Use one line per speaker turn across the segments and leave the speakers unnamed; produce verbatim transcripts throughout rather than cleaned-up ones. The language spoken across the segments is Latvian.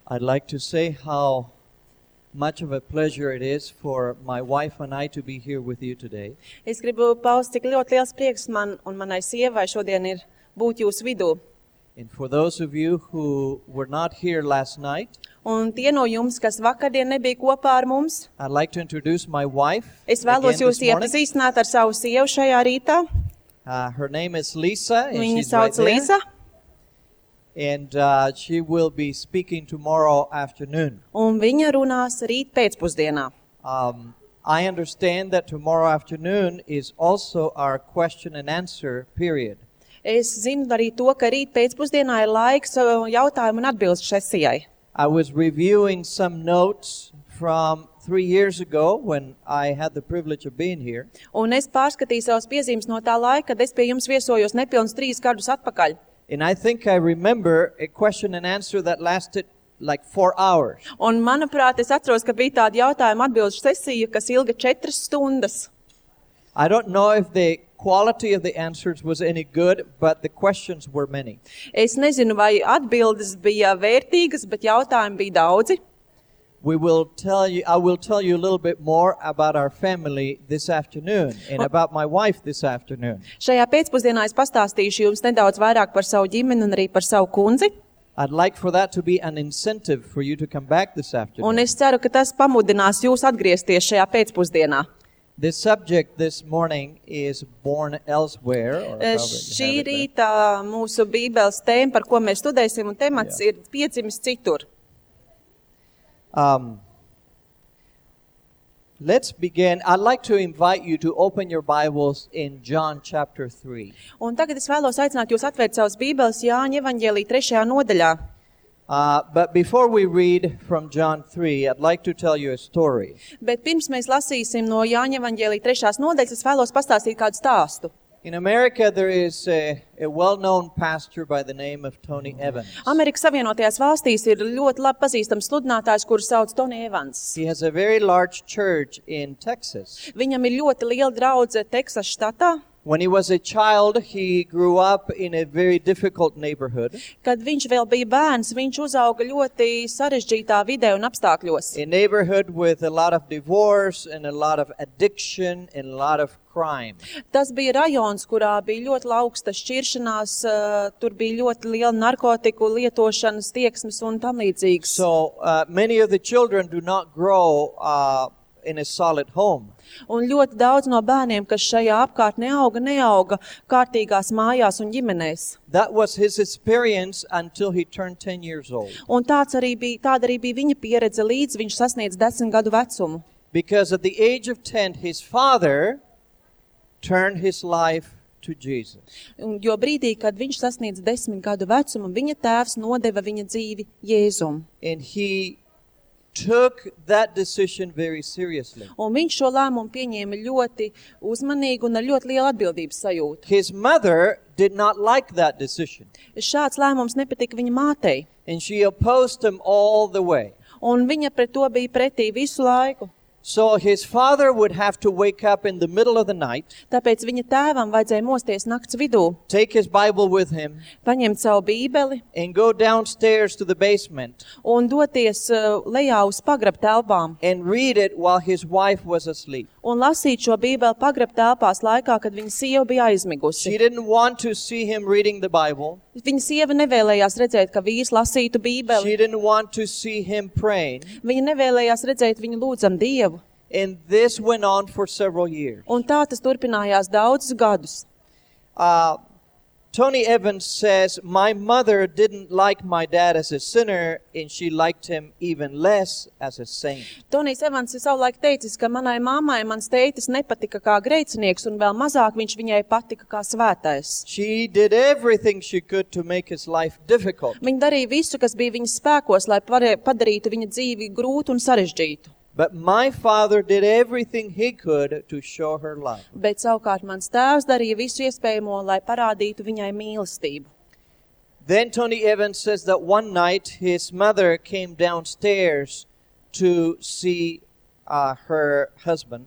I'd like to say how much of a pleasure it is for my wife and I to be here with you today.
Es gribu paust, cik ļoti liels prieks man un manai sievai šodien ir būt jūsu vidū.
And for those of you who were not here last night,
Un tie no jums, kas vakardien nebija kopā ar mums,
I'd like to introduce my wife
es vēlos
again
jūs
this morning.
iepazīstināt ar savu sievu šajā rītā.
Uh, her name is Lisa, and
Viņa
she's right
sauc
there.
Līza,
And uh, she will be speaking tomorrow afternoon.
un viņa runās rīt pēcpusdienā.
Um, I understand that tomorrow afternoon is also our question and answer period.
Es zinu arī to, ka rīt pēcpusdienā ir laiks uh, jautājumu un atbildes sesijai.
I was reviewing some notes from three years ago when I had the privilege of being here.
Un es pārskatīju savas piezīmes no tā laika, kad es pie jums viesojos nepilns trīs gadus atpakaļ.
And I think I remember a question and answer that lasted like four hours.
Un, manuprāt, es atceros, ka bija tāda jautājuma atbildes sesija, kas ilga četras stundas.
I don't know if the quality of the answers was any good, but the questions were many.
Es nezinu, vai atbildes bija vērtīgas, bet jautājumi bija daudzi.
We will tell you, I will tell you a little bit more about our family this afternoon and about my wife this afternoon.
Šajā pēcpusdienā es pastāstīšu jums nedaudz vairāk par savu ģimeni un arī par savu kundzi.
I'd like for that to be an incentive for you to come back this
Un
afternoon.
es ceru, ka tas pamudinās jūs atgriezties šajā pēcpusdienā.
The subject this morning is born elsewhere. Or however you
Šī
have it there.
rīta mūsu bībeles tēma, par ko mēs studēsim, un temats
Jā.
ir piedzimis citur.
Um, let's begin. I'd like to invite you to open your Bibles in John chapter three.
Un tagad es vēlos aicināt jūs atvērt savas bībeles Jāņa evaņģēlī trešajā nodaļā.
Uh, but before we read from John three, I'd like to tell you a story.
Bet pirms mēs lasīsim no Jāņa evaņģēlī trešās nodaļas, es vēlos pastāstīt kādu stāstu.
In America, there is a, a well-known pastor by the name of Tony Evans.
Amerikas Savienotajās valstīs ir ļoti labi pazīstams sludinātājs, kuru sauc Tony Evans.
He has a very large church in Texas.
Viņam ir ļoti liela draudze Teksas štatā.
When he was a child, he grew up in a very difficult neighborhood,
Kad viņš vēl bija bērns, viņš uzauga ļoti sarežģītā vidē un apstākļos.
a neighborhood with a lot of divorce and a lot of addiction and a lot of crime.
Tas bija rajons, kurā bija ļoti augsta šķiršanās, uh, tur bija ļoti liela narkotiku lietošanas tieksmes un tam līdzīgs.
So uh, many of the children do not grow uh, in a solid home.
Un ļoti daudz no bērniem, kas šajā apkārtnē auga, neauga kārtīgās mājās un ģimenēs.
That was his experience until he turned ten years old.
Un tāds arī bija, tāda arī bija viņa pieredze, līdz viņš sasniedz desmit gadu vecumu.
Because at the age of ten, his father turned his life to Jesus.
Un, jo brīdī, kad viņš sasniedz desmit gadu vecumu, viņa tēvs nodeva viņa dzīvi Jēzum.
And he took that decision very seriously.
Un viņš šo lēmumu pieņēma ļoti uzmanīgi un ar ļoti lielu atbildības sajūtu.
His mother did not like that decision,
Šāds lēmums nepatika viņa mātei,
and she opposed him all the way.
un viņa pret to bija pretī visu laiku.
So his father would have to wake up in the middle of the night,
Tāpēc viņa tēvam vajadzēja mosties nakts vidū,
take his Bible with him,
paņemt savu bībeli
and go downstairs to the basement
un doties uh, lejā uz pagrab telpām
and read it while his wife was asleep.
un lasīt šo bībeli pagrab telpās laikā, kad viņa sieva bija
She
aizmigusi.
didn't want to see him reading the Bible.
Viņa sieva nevēlējās redzēt, ka vīrs lasītu bībeli.
She didn't want to see him praying.
Viņa nevēlējās redzēt viņu lūdzam Dievu.
And this went on for several years.
Un tā tas turpinājās daudzus gadus.
Uh, Tony Evans says, my mother didn't like my dad as a sinner, and she liked him even less as a saint.
Tonijs Evans ir savulaik teicis, ka manai mammai mans tētis nepatika kā grēcinieks, un vēl mazāk viņš viņai patika kā svētais.
She did everything she could to make his life difficult.
Viņa darīja visu, kas bija viņas spēkos, lai pare- padarītu viņa dzīvi grūtu un sarežģītu.
But my father did everything he could to show her love.
Bet savukārt mans tēvs darīja visu iespējamo, lai parādītu viņai mīlestību.
Then Tony Evans says that one night his mother came downstairs to see uh, her husband.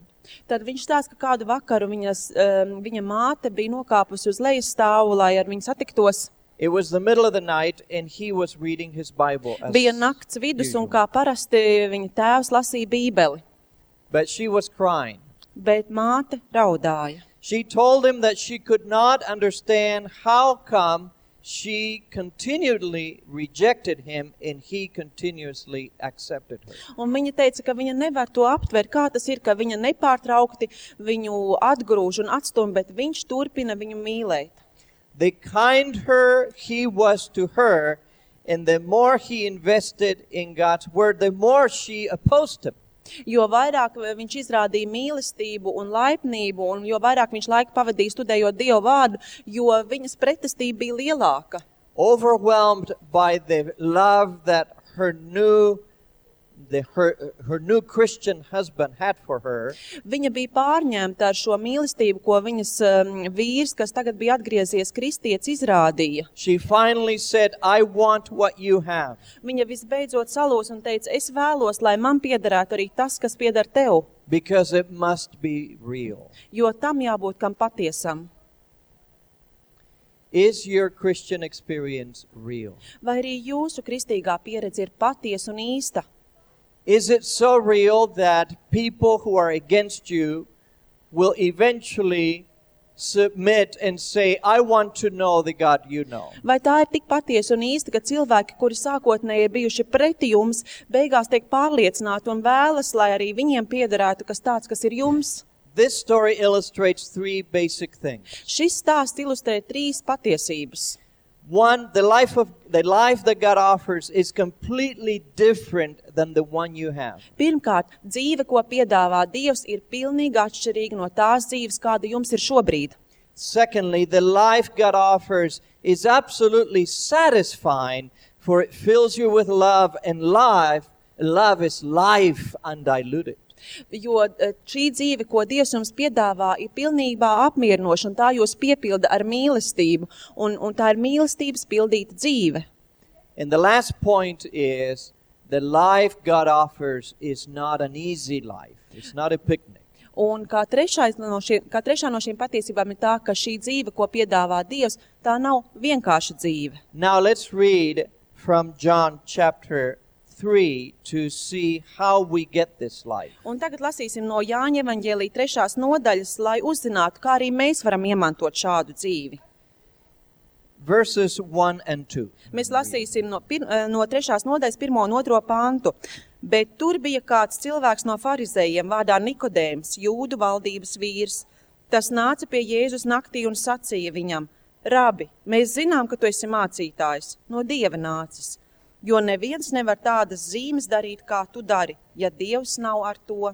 Tad viņš stāsta, ka kādu vakaru viņas, um, viņa māte bija nokāpusi uz lejas stāvu, lai ar viņu satiktos.
It was the middle of the night and he was reading his Bible as
Bija nakts vidus un
usual.
kā parasti viņa tēvs lasīja bībeli,
But she was crying.
bet māte raudāja.
She told him that she could not understand how come she continually rejected him and he continuously accepted her.
Un viņa teica, ka viņa nevar to aptvert, kā tas ir, ka viņa nepārtraukti viņu atgrūž un atstum, bet viņš turpina viņu mīlēt.
The kinder he was to her, and the more he invested in God's word, the more she opposed him.
Jo vairāk viņš izrādīja mīlestību un laipnību, un jo vairāk viņš laiku pavadīja studējot Dievu vārdu, jo viņas pretestība bija lielāka.
Overwhelmed by the love that her new, the, her, her new Christian husband had for her,
Viņa bija pārņemta ar šo mīlestību, ko viņas um, vīrs, kas tagad bija atgriezies kristietis, izrādīja.
she finally said, I want what you have.
Viņa visbeidzot salūs un teica, es vēlos, lai man piederētu arī tas, kas pieder tev,
Because it must be real.
jo tam jābūt kam patiesam.
Is your Christian experience real?
Vai arī jūsu kristīgā pieredze ir patiesa un īsta?
Is it so real that people who are against you will eventually submit and say, I want to know the God you know?
Vai tā ir tik patiesa un īsta, ka cilvēki, kuri sākotnēji ir bijuši preti jums, beigās tiek pārliecināti un vēlas, lai arī viņiem piederētu kas tāds, kas ir jums?
This story illustrates three basic things.
Šis stāsts ilustrē trīs patiesības.
One, the life of the life that God offers is completely different than the one you have.
Pirmkārt, dzīve, ko piedāvā Dievs, ir pilnīgi atšķirīga no tās dzīves, kāda jums ir šobrīd.
Secondly, the life God offers is absolutely satisfying, for it fills you with love, and life, love is life undiluted.
Jo eh, šī dzīve, ko Dievs jums piedāvā, ir pilnībā apmierinoša, un tā jūs piepilda ar mīlestību, un, un tā ir mīlestības pildīta dzīve.
And the last point is the life God offers is not an easy life. It's not a picnic.
Un kā, no šie, kā trešā no šīm patiesībām ir tā, ka šī dzīve, ko piedāvā Dievs, tā nav vienkārša dzīve.
Now let's read from John chapter three to see how we get this life.
Un tagad lasīsim no Jāņa evaņģēlija trešās nodaļas, lai uzzinātu, kā arī mēs varam iemantot šādu dzīvi.
Verses one and two.
Mēs lasīsim no, pir, no trešās nodaļas pirmo un otro pantu. Bet tur bija kāds cilvēks no farizējiem vārdā Nikodēms, Jūdu valdības vīrs. Tas nāca pie Jēzus naktī un sacīja viņam, Rabi, mēs zinām, ka tu esi mācītājs, no Dieva nācis, jo neviens nevar tādas zīmes darīt, kā tu dari, ja Dievs nav ar to.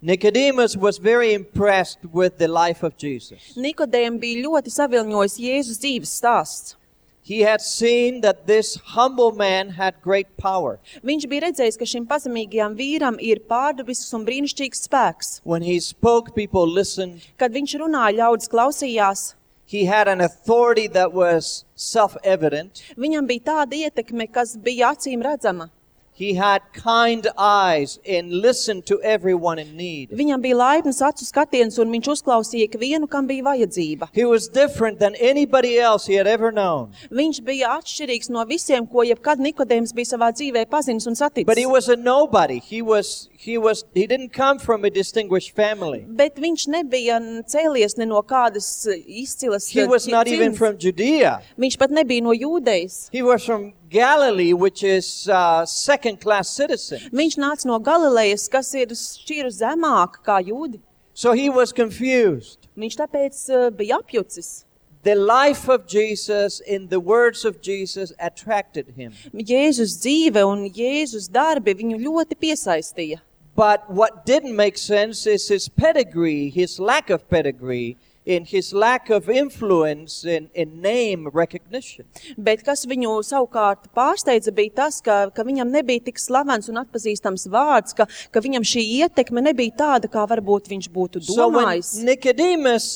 Nicodemus was very impressed with the life of Jesus.
Nikodēm bija ļoti savilņojis Jēzus dzīves stāsts.
He had seen that this humble man had great power.
Viņš bija redzējis, ka šim pazemīgajam vīram ir pārdabisks un brīnišķīgs spēks.
When he spoke, people listened.
Kad viņš runāja, ļaudis klausījās.
He had an authority that was self-evident.
Viņam bija tāda ietekme, kas bija acīm redzama.
He had kind eyes and listened to everyone in need.
Viņam bija laipns acu skatiens, un viņš uzklausīja ikvienu, kam bija vajadzība.
He was different than anybody else he had ever known.
Viņš bija atšķirīgs no visiem, ko jebkad Nikodēms bija savā dzīvē pazinis un saticis.
But he was a nobody. He was he was he didn't come from a distinguished family.
Bet viņš nebija cēlies ne no kādas izcilas
He was not even
dzimtes.
from Judea.
Viņš pat nebija no Jūdejas.
He was from Galilee, which is uh, second-class citizen.
Viņš nāca no Galilejas, kas ir šķiru zemāk kā Jūdi.
So he was confused.
Viņš tāpēc uh, bija apjucis.
The life of Jesus and the words of Jesus attracted him.
Jēzus dzīve un Jēzus darbi viņu ļoti piesaistīja.
But what didn't make sense is his pedigree, his lack of pedigree, and his lack of influence and, and name recognition.
Bet kas viņu savukārt pārsteidza bija tas, ka, ka viņam nebija tik slavens un atpazīstams vārds, ka, ka viņam šī ietekme nebija tāda, kā varbūt viņš būtu
So when
domājis.
Nicodemus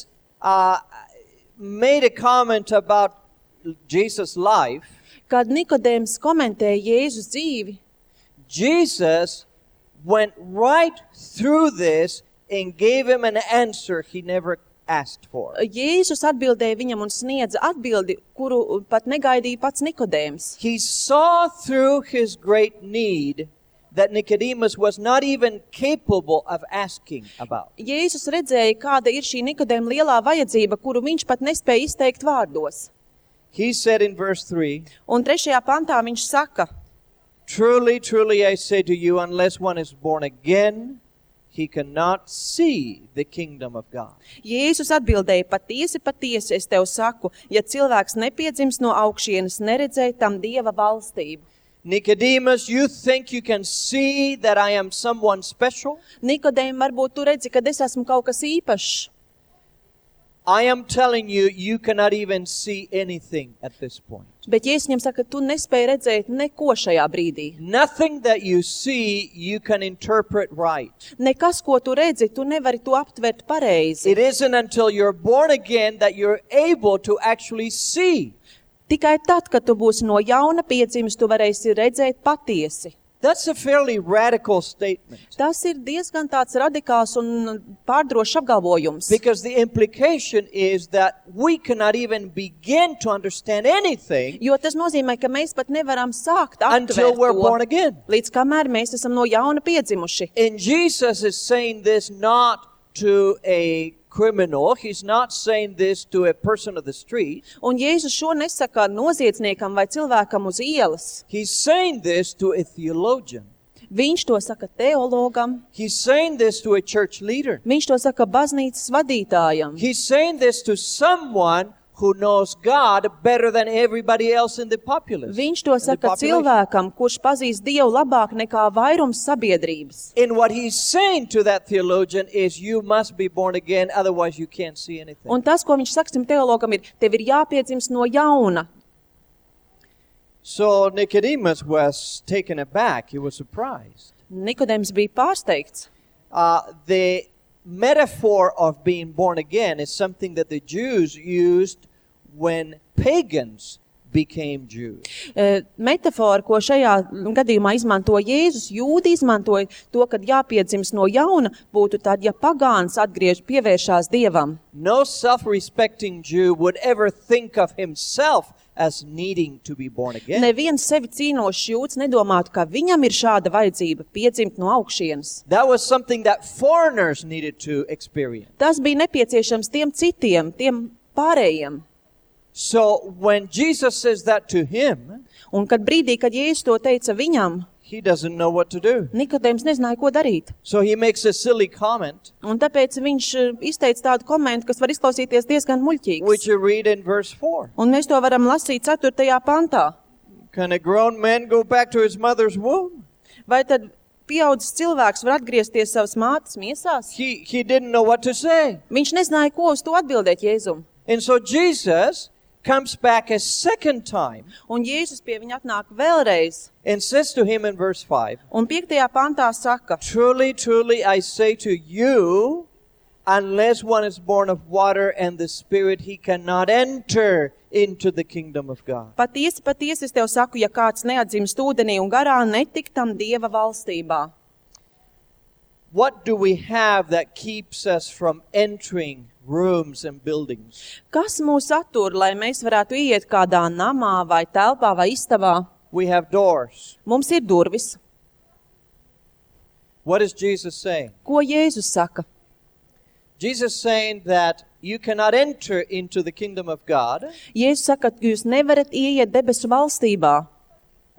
uh, made a comment about Jesus' life,
Kad Nikodēms komentēja Jēzus dzīvi,
Jesus went right through this and gave him an answer he never asked for.
Jēzus atbildēja viņam un sniedza atbildi, kuru pat negaidīja pats Nikodēms.
He saw through his great need that Nicodemus was not even capable of asking about.
Jēzus redzēja, kāda ir šī Nikodēma lielā vajadzība, kuru viņš pat nespēja izteikt vārdos.
He said in verse three,
Un trešajā pantā viņš saka,
Truly, truly, I say to you, unless one is born again, he cannot see the kingdom of God.
Jēzus atbildēja, patiesi, patiesi, es tev saku, ja cilvēks nepiedzimst no augšienes, neredzēja tam Dieva valstību.
Nicodemus, you think you can see that I am someone special?
Nikodēm, varbūt tu redzi, ka es esmu kaut kas īpašs.
I am telling you, you cannot even see anything at this point.
Bet Jēzus viņam saka, tu nespēji redzēt neko šajā brīdī.
Nothing that you see, you can interpret right.
Nekas, ko tu redzi, tu nevari to aptvert pareizi.
It isn't until you're born again that you're able to actually see.
Tikai tad, kad tu būsi no jauna piedzimis, tu varēsi redzēt patiesi.
That's a fairly radical statement.
Tas ir diezgan tāds radikāls un pārdrošs apgalvojums.
Because the implication is that we cannot even begin to understand anything
Jo tas nozīmē, ka mēs pat nevaram sākt
until
aptvert
we're born
to,
again.
līdz kamēr mēs esam no jauna piedzimuši.
And Jesus is saying this not to a criminal. He's not saying this to a person of the street.
Un Jēzus šo nesaka noziedzniekam vai cilvēkam uz ielas.
He's saying this to a theologian.
Viņš to saka teologam,
He's saying this to a church leader.
viņš to saka baznīcas vadītājam.
He's saying this to someone who knows God better than everybody else in the populace.
Viņš to
in the
saka
population.
cilvēkam, kurš pazīst Dievu labāk nekā vairums sabiedrības.
And what he's saying to that theologian is you must be born again, otherwise you can't see anything.
Un tas, ko viņš saka šim teologam, ir, tev ir jāpiedzimst no jauna.
So Nicodemus was taken aback. He was surprised.
Nikodēms bija pārsteigts.
Uh, the metaphor of being born again is something that the Jews used when pagans became Jews.
E, Metafora, ko šajā gadījumā izmanto Jēzus, jūdi izmantoja to, kad jāpiedzimst no jauna, būtu tad, ja pagāns atgriež pievēršās Dievam.
No self-respecting Jew would ever think of himself as needing to be born again.
Neviens sevi cīnošs jūds nedomātu, ka viņam ir šāda vajadzība piedzimt no augšienes.
That was something that foreigners needed to experience.
Tas bija nepieciešams tiem citiem, tiem pārējiem.
So when Jesus says that to him,
Un kad brīdī, kad Jēzus to teica viņam,
he doesn't know what to do.
Nikodēms nezināja, ko darīt.
So he makes a silly comment,
Un tāpēc viņš e, izteica tādu komentu, kas var izklausīties diezgan muļķīgs.
which you read in verse four.
Un mēs to varam lasīt ceturtajā pantā.
Can a grown man go back to his mother's womb?
Vai tad pieaudzis cilvēks var atgriezties savas mātes miesās?
He, he didn't know what to say.
Viņš nezināja, ko uz to atbildēt Jēzum.
And so Jesus comes back a second time
Un Jēzus pie viņa atnāk vēlreiz.
and says to him in verse five,
Un piektajā pantā saka,
Truly, truly, I say to you, unless one is born of water and the Spirit, he cannot enter into the kingdom of God.
patiesi, patiesi es tev saku, ja kāds neatdzimst ūdenī un garā, netik tam Dieva valstībā.
What do we have that keeps us from entering rooms and buildings?
Kas mūs attur, lai mēs varētu iet kādā namā vai telpā vai istabā?
We have doors.
Mums ir durvis.
What is Jesus saying?
Ko Jēzus saka?
Jesus saying that you cannot enter into the kingdom of God.
Jēzus saka, ka jūs nevarat ieiet debesu valstībā.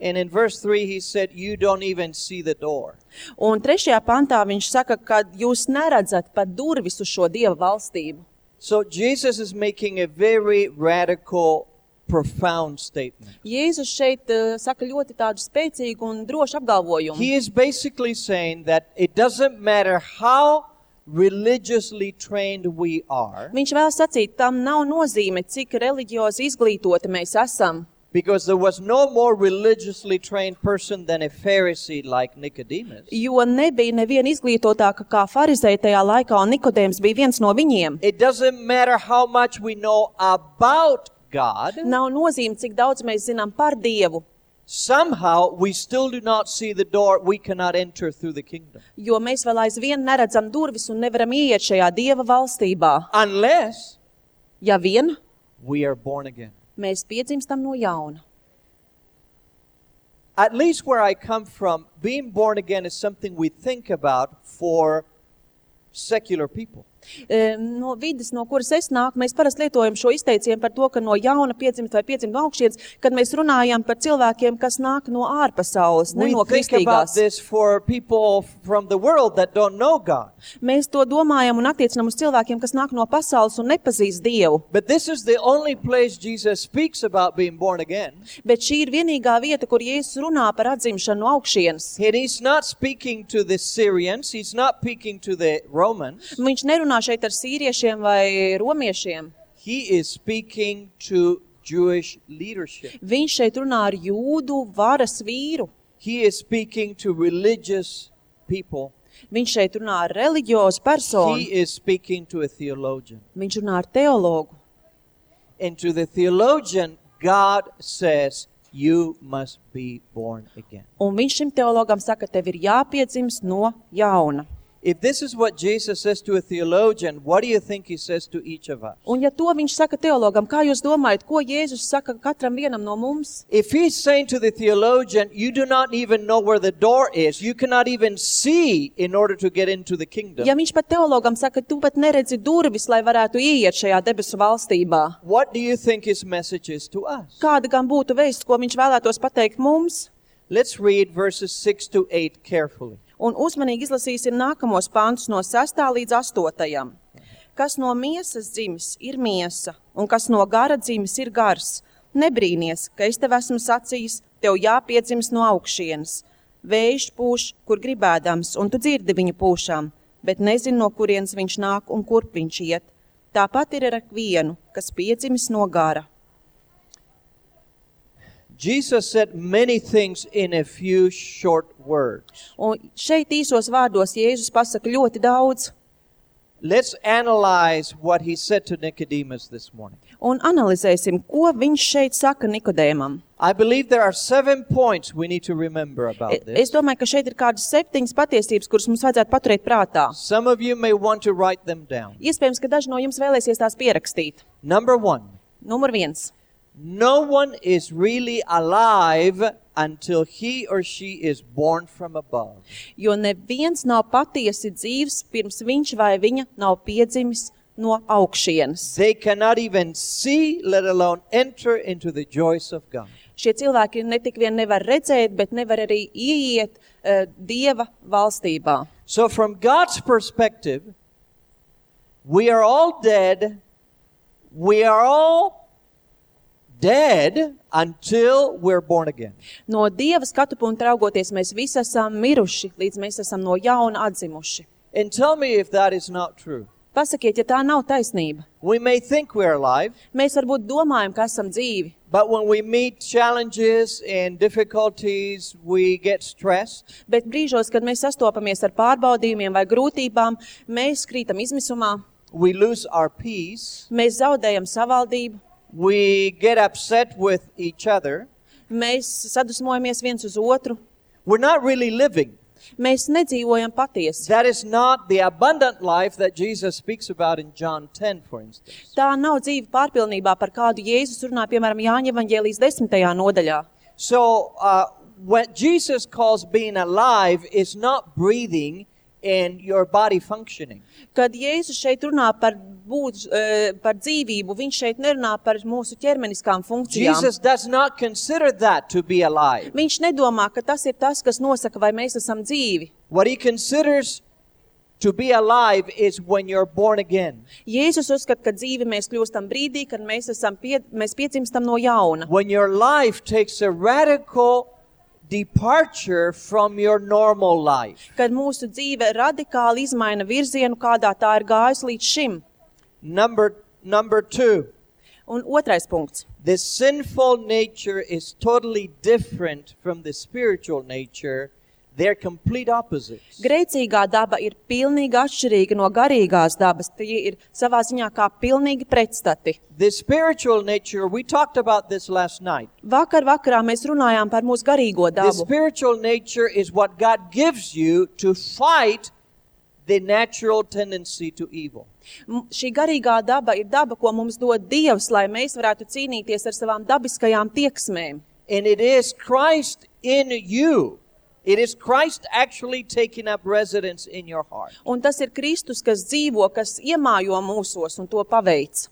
And in verse three, he said, you don't even see the door.
Un trešajā pantā viņš saka, ka jūs neredzat pat durvis uz šo Dieva valstību.
So Jesus is making a very radical, profound statement.
Jēzus šeit uh, saka ļoti tādu spēcīgu un drošu apgalvojumu.
He is basically saying that it doesn't matter how religiously trained we are,
Viņš vēl sacīt, tam nav nozīme, cik reliģiozi izglītoti mēs esam.
because there was no more religiously trained person than a Pharisee like Nicodemus.
Jo nebija neviena izglītotāka kā farizēji tajā laikā, un Nikodēms bija viens no viņiem.
It doesn't matter how much we know about God.
Nav nozīme, cik daudz mēs zinām par Dievu.
somehow we still do not see the door. We cannot enter through the kingdom.
Jo mēs vēl aizvien neredzam durvis un nevaram ieiet šajā Dieva valstībā.
Unless
Ja vien
we are born again.
mēs piedzimstam no jauna.
At least where I come from, being born again is something we think about for secular people.
No vidas, no kuras es nāku, mēs parasti lietojam šo izteicienu par to, ka no jauna piedzimt vai piedzimt no augšienes, kad mēs runājam par cilvēkiem, kas nāk no ārpasaules, ne
We
no
think about
kristīgās.
this for people from the world that don't know God.
Mēs to domājam un attiecinam uz cilvēkiem, kas nāk no pasaules un nepazīst Dievu.
But this is the only place Jesus speaks about being born again.
Bet šī ir vienīgā vieta, kur Jēzus runā par atzimšanu no augšienes.
And he's not speaking to the Syrians. He's not speaking to the Romans.
Viņš nerunā šeit ar sīriešiem vai romiešiem.
He is speaking to Jewish leadership.
Viņš šeit runā ar jūdu varas vīru.
He is speaking to religious people.
Viņš šeit runā ar reliģiozu personu.
He is speaking to a theologian.
Viņš runā ar teologu.
And to the theologian, God says, you must be born again.
Un viņš šim teologam saka, tev ir jāpiedzimst no jauna.
If this is what Jesus says to a theologian, what do you think he says to each of us?
Un ja to viņš saka teologam, kā jūs domājat, ko Jēzus saka katram vienam no mums?
If he's saying to the theologian, you do not even know where the door is, you cannot even see in order to get into the kingdom.
Ja viņš pat teologam saka, tu pat neredzi durvis, lai varētu ieiet šajā debesu valstībā,
What do you think his message is to us?
kāda gan būtu vēsts, ko viņš vēlētos pateikt mums?
Let's read verses six to eight carefully.
Un uzmanīgi izlasīsim nākamos pantus no sestā līdz astotajam. Kas no miesas dzimis, ir miesa, un kas no gara dzimis, ir gars. Nebrīnies, ka es tev esmu sacījis, tev jāpiedzims no augšienes. Vējš pūš, kur gribēdams, un tu dzirdi viņu pūšām, bet nezini, no kurienes viņš nāk un kurp viņš iet. Tāpat ir ar vienu, kas piedzimis no gara.
Jesus said many things in a few short words.
Un šeit īsos vārdos Jēzus pasaka ļoti daudz.
Let's analyze what he said to Nicodemus this morning.
Un analizēsim, ko viņš šeit saka Nikodēmam.
I believe there are seven points we need to remember about
Es
this.
domāju, ka šeit ir kādas septiņas patiesības, kuras mums vajadzētu paturēt prātā.
Some of you may want to write them down.
Iespējams, ka daži no jums vēlēsies tās pierakstīt.
Number one,
Numur viens.
no one is really alive until he or she is born from above.
Jo neviens nav patiesi dzīvs, pirms viņš vai viņa nav piedzimis no augšienes.
They cannot even see, let alone enter into the joys of God.
Šie cilvēki ne tik vien nevar redzēt, bet nevar arī ieiet uh, Dieva valstībā.
So from God's perspective, we are all dead. We are all dead until we're born again.
No Dieva skatu punkta raugoties, mēs visi esam miruši, līdz mēs esam no jauna atzimuši.
And tell me if that is not true.
Pasakiet, ja tā nav taisnība.
We may think we're alive,
Mēs varbūt domājam, ka esam dzīvi,
but when we meet challenges and difficulties, we get stressed.
bet brīžos, kad mēs sastopamies ar pārbaudījumiem vai grūtībām, mēs krītam izmisumā,
We lose our peace.
mēs zaudējam savaldību,
We get upset with each other.
mēs sadusmojamies viens uz otru,
We're not really living.
mēs nedzīvojam patiesi.
That is not the abundant life that Jesus speaks about in John ten, for instance.
Tā nav dzīve pārpilnībā, par kādu Jēzus runā, piemēram, Jāņa evaņģēlijas desmitajā nodaļā.
So, uh, what Jesus calls being alive is not breathing and your body functioning.
Kad Jēzus šeit runā par, būt, eh, par dzīvību, viņš šeit nerunā par mūsu ķermeniskām funkcijām.
Jesus does not consider that to be alive.
Viņš nedomā, ka tas ir tas, kas nosaka, vai mēs esam dzīvi.
What he considers to be alive is when you're born again.
Jēzus uzskata, ka dzīvi mēs kļūstam brīdī, kad mēs, esam pie, mēs piedzimstam no jauna.
When your life takes a radical departure from your normal life.
Kad mūsu dzīve radikāli izmaina virzienu, kādā tā ir gājusi līdz šim.
Number, number two,
Un otrais punkts.
the sinful nature is totally different from the spiritual nature They're complete opposites.
Grēcīgā daba ir pilnīgi atšķirīga no garīgās dabas. Tie ir savā ziņā kā pilnīgi pretstati.
The spiritual nature, we talked about this last night.
Vakar vakarā mēs runājām par mūsu garīgo
The
dabu.
spiritual nature is what God gives you to fight the natural tendency to evil.
M- Šī garīgā daba ir daba, ko mums dod Dievs, lai mēs varētu cīnīties ar savām dabiskajām tieksmēm.
And it is Christ in you. It is Christ actually taking up residence in your heart.
Un tas ir Kristus, kas dzīvo, kas iemājo mūsos un to paveic.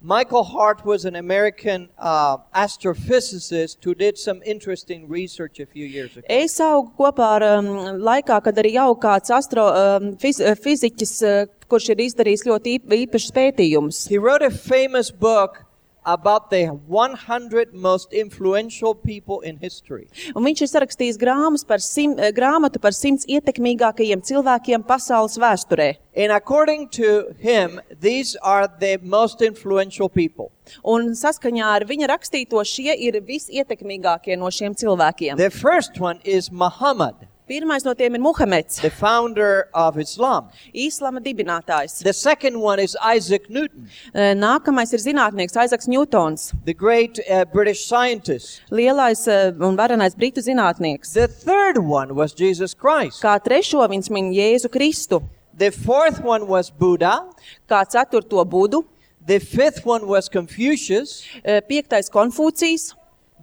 Michael Hart was an American uh, astrophysicist who did some interesting research a few years ago.
Es augu kopā ar um, laikā, kad arī jau kāds astro, um, fiz, fiziķis, uh, kurš ir izdarījis ļoti īp, īpašs pētījums.
He wrote a famous book about the one hundred most influential people in history.
Un viņš ir sarakstījis grāmas par sim, grāmatu par simts ietekmīgākajiem cilvēkiem pasaules vēsturē.
And according to him, these are the most influential people.
Un saskaņā ar viņa rakstīto šie ir visietekmīgākie no šiem cilvēkiem.
The first one is Muhammad,
Pirmais no tiem ir Muhameds,
the founder of Islam.
Īslama dibinātājs.
The second one is Isaac Newton,
Nākamais ir zinātnieks Aizaks Ņūtons,
the great uh, British scientist.
lielais uh, un varenais britu zinātnieks.
The third one was Jesus Christ.
Kā trešo viņš min Jēzu Kristu,
The fourth one was Buddha.
kā ceturto Budu,
The fifth one was Confucius.
uh, piektais Konfūcijs,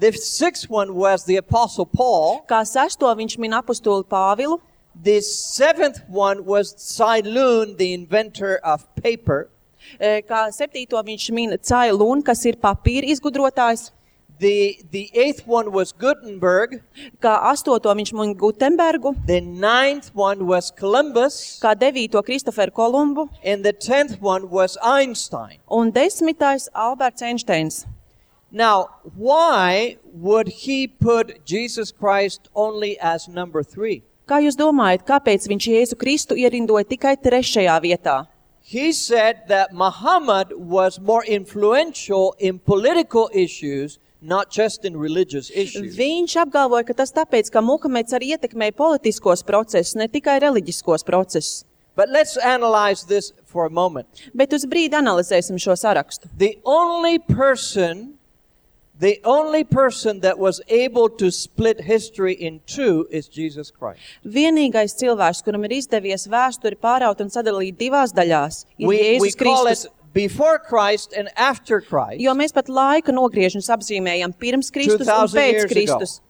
The sixth one was the Apostle Paul.
kā sesto viņš min apostuli Pāvilu,
The seventh one was Tsai Lun, the inventor of paper.
uh, kā septīto viņš min Tsai Lun, kas ir papīra izgudrotājs,
The, the eighth one was Gutenberg.
kā astoto viņš min Gutenbergu,
The ninth one was Columbus.
kā devīto Kristoferu Kolumbu
And the tenth one was Einstein.
un desmitais Alberts Einsteins.
Now, why would he put Jesus Christ only as number three?
Kā jūs domājat, kāpēc viņš Jēzu Kristu ierindoja tikai trešajā vietā?
He said that Muhammad was more influential in political issues, not just in religious issues.
Viņš apgalvoja, ka tas tāpēc, ka Muhameds arī ietekmēja politiskos procesus, ne tikai reliģiskos procesus.
But let's analyze this for a moment.
Bet uz brīdi analizēsim šo sarakstu.
The only person, the only person that was able to split history in two is Jesus Christ.
Vienīgais cilvēks, kuram ir izdevies vēsturi pāraut un sadalīt divās daļās, ir
We, we
Jēzus
call
Kristus.
it before Christ and after Christ.
Jo mēs pat laika nogriežņus apzīmējam pirms Kristus un
two thousand
pēc
years
Kristus.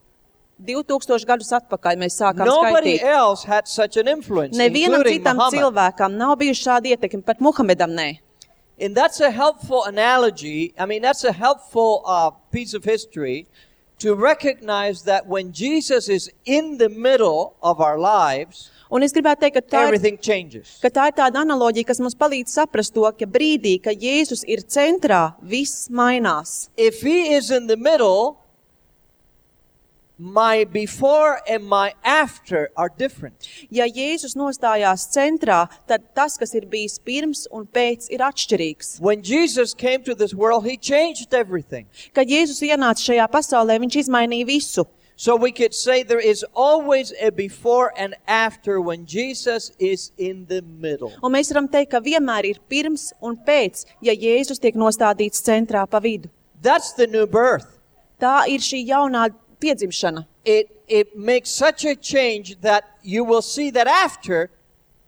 divtūkstoši gadus atpakaļ mēs sākām
Nobody
skaitīt.
else had such an influence,
Nevienam
including
citam
Muhammad.
cilvēkam nav bijuši šādi ietekmi, pat Muhamedam nē.
And that's a helpful analogy. I mean, that's a helpful uh, piece of history to recognize that when Jesus is in the middle of our lives,
Un es gribētu teikt, ka tā, ir,
everything changes.
ka tā ir tāda analoģija, kas mums palīdz saprast to, ka brīdī, ka Jēzus ir centrā, viss mainās.
If he is in the middle, my before and my after are different.
Ja Jēzus nostājās centrā, tad tas, kas ir bijis pirms un pēc, ir atšķirīgs.
When Jesus came to this world, he changed everything.
Kad Jēzus ienāca šajā pasaulē, viņš izmainīja visu.
So we could say there is always a before and after when Jesus is in the middle.
Un mēs varam teikt, ka vienmēr ir pirms un pēc, ja Jēzus tiek nostādīts centrā pa vidu.
That's the new birth.
Tā ir šī jaunā piedzimšana.
It, it makes such a change that you will see that after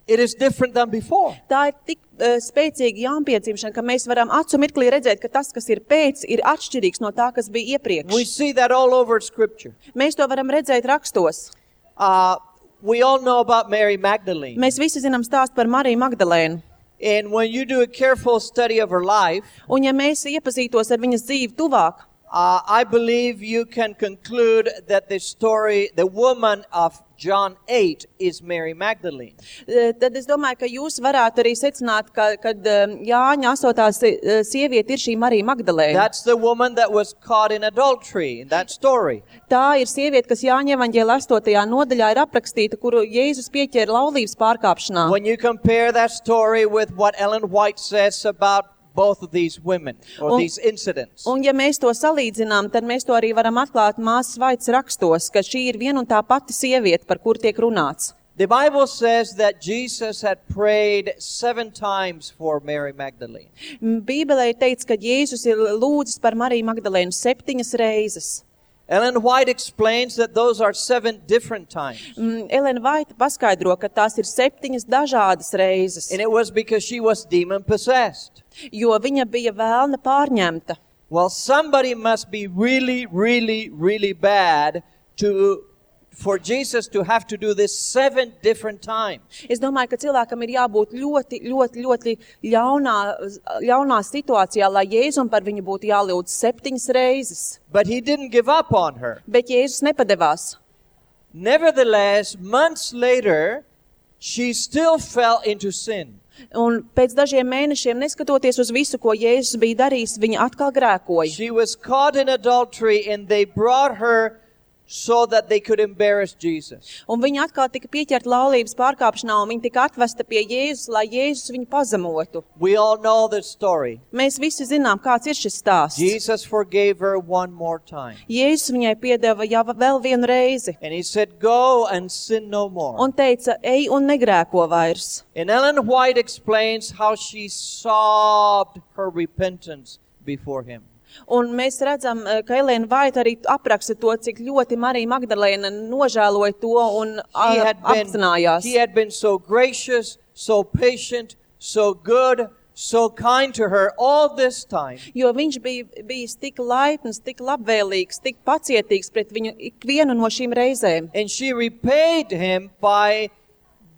it is different than before.
Tā ir tik uh, spēcīga jaunpiedzimšana, ka mēs varam acu mirklī redzēt, ka tas, kas ir pēc, ir atšķirīgs no tā, kas bija
We
iepriekš.
see that all over Scripture.
Mēs to varam redzēt rakstos.
Uh, we all know about Mary Magdalene.
Mēs visi zinām stāstu par Mariju Magdalēnu.
And when you do a careful study of her life,
Un ja mēs iepazītos ar viņas dzīvi tuvāk,
uh, I believe you can conclude that the story, the woman of John eight is Mary Magdalene.
eh, tad es domāju, ka jūs varētu arī secināt, ka, kad eh, Jāņa astotā sie- eh, sieviete ir šī Marija Magdalēna.
That's the woman that was caught in adultery in that story.
Tā ir sieviete, kas Jāņa evaņģēlija astotajā nodaļā ir aprakstīta, kuru Jēzus pieķēra laulības pārkāpšanā.
When you compare that story with what Ellen White says about both of these women or
Un-
these incidents.
Un ja mēs to salīdzinām, tad mēs to arī varam atklāt māsas Vaitas rakstos, ka šī ir viena un tā pati sieviete, par kur tiek runāts.
The Bible says that Jesus had prayed seven times for Mary Magdalene.
M, Bībelē ir teikts, ka Jēzus ir lūdzis par Mariju Magdalēnu septiņas reizes.
Ellen White explains that those are seven different times.
M, Elena Vaita paskaidro, ka tās ir septiņas dažādas reizes,
And it was because she was demon possessed.
jo viņa bija vēlna pārņemta.
Well, somebody must be really, really, really bad to for Jesus to have to do this seven different times.
Es domāju, ka cilvēkam ir jābūt ļoti, ļoti, ļoti ļaunā, ļaunā situācijā, lai Jēzum par viņu būtu jālūdz septiņas reizes.
But he didn't give up on her.
Bet Jēzus nepadevās.
Nevertheless, months later, she still fell into sin.
Un pēc dažiem mēnešiem, neskatoties uz visu, ko Jēzus bija darījis, viņa atkal grēkoja.
She was caught in adultery and they brought her so that they could embarrass Jesus.
Un viņa atkal tika pieķerta laulības pārkāpšanā, un viņa tika atvesta pie Jēzus, lai Jēzus viņu pazemotu.
We all know the story.
Mēs visi zinām, kāds ir šis stāsts.
Jesus forgave her one more time.
Jēzus viņai piedeva jau vēl vienu reizi
And he said, go and sin no more.
un teica, ej un negrēko vairs.
And Ellen White explains how she sobbed her repentance before him.
Un mēs redzam, ka Elēna Vaita arī apraksta to, cik ļoti Marija Magdalēna nožēloja to un
He
a-
had been,
apzinājās.
he had been so gracious, so patient, so good, so kind to her all this time.
Jo viņš bija bijis tik laipns, tik labvēlīgs, tik pacietīgs pret viņu ikvienu no šīm reizēm.
And she repaid him by,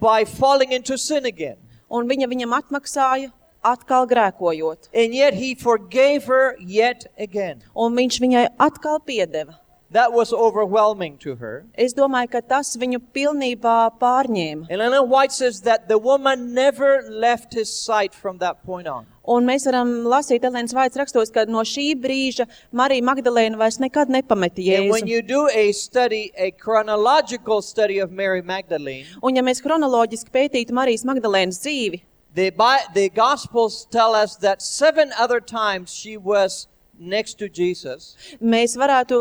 by falling into sin again.
Un viņa viņam atmaksāja, atkal grēkojot.
And yet he forgave her yet again.
Un viņš viņai atkal piedeva.
That was overwhelming to her.
Es domāju, ka tas viņu pilnībā pārņēma.
And Ellen White says that the woman never left his sight from that point on.
Un mēs varam lasīt Elēnas Vaitas rakstos, ka no šī brīža Marija Magdalēna vairs nekad nepameta
And when
Jēzu.
you do a study, a chronological study of Mary Magdalene,
Un ja mēs kronoloģiski pētītu Marijas Magdalēnas dzīvi,
the, Bi- the Gospels tell us that seven other times she was next to Jesus.
mēs varētu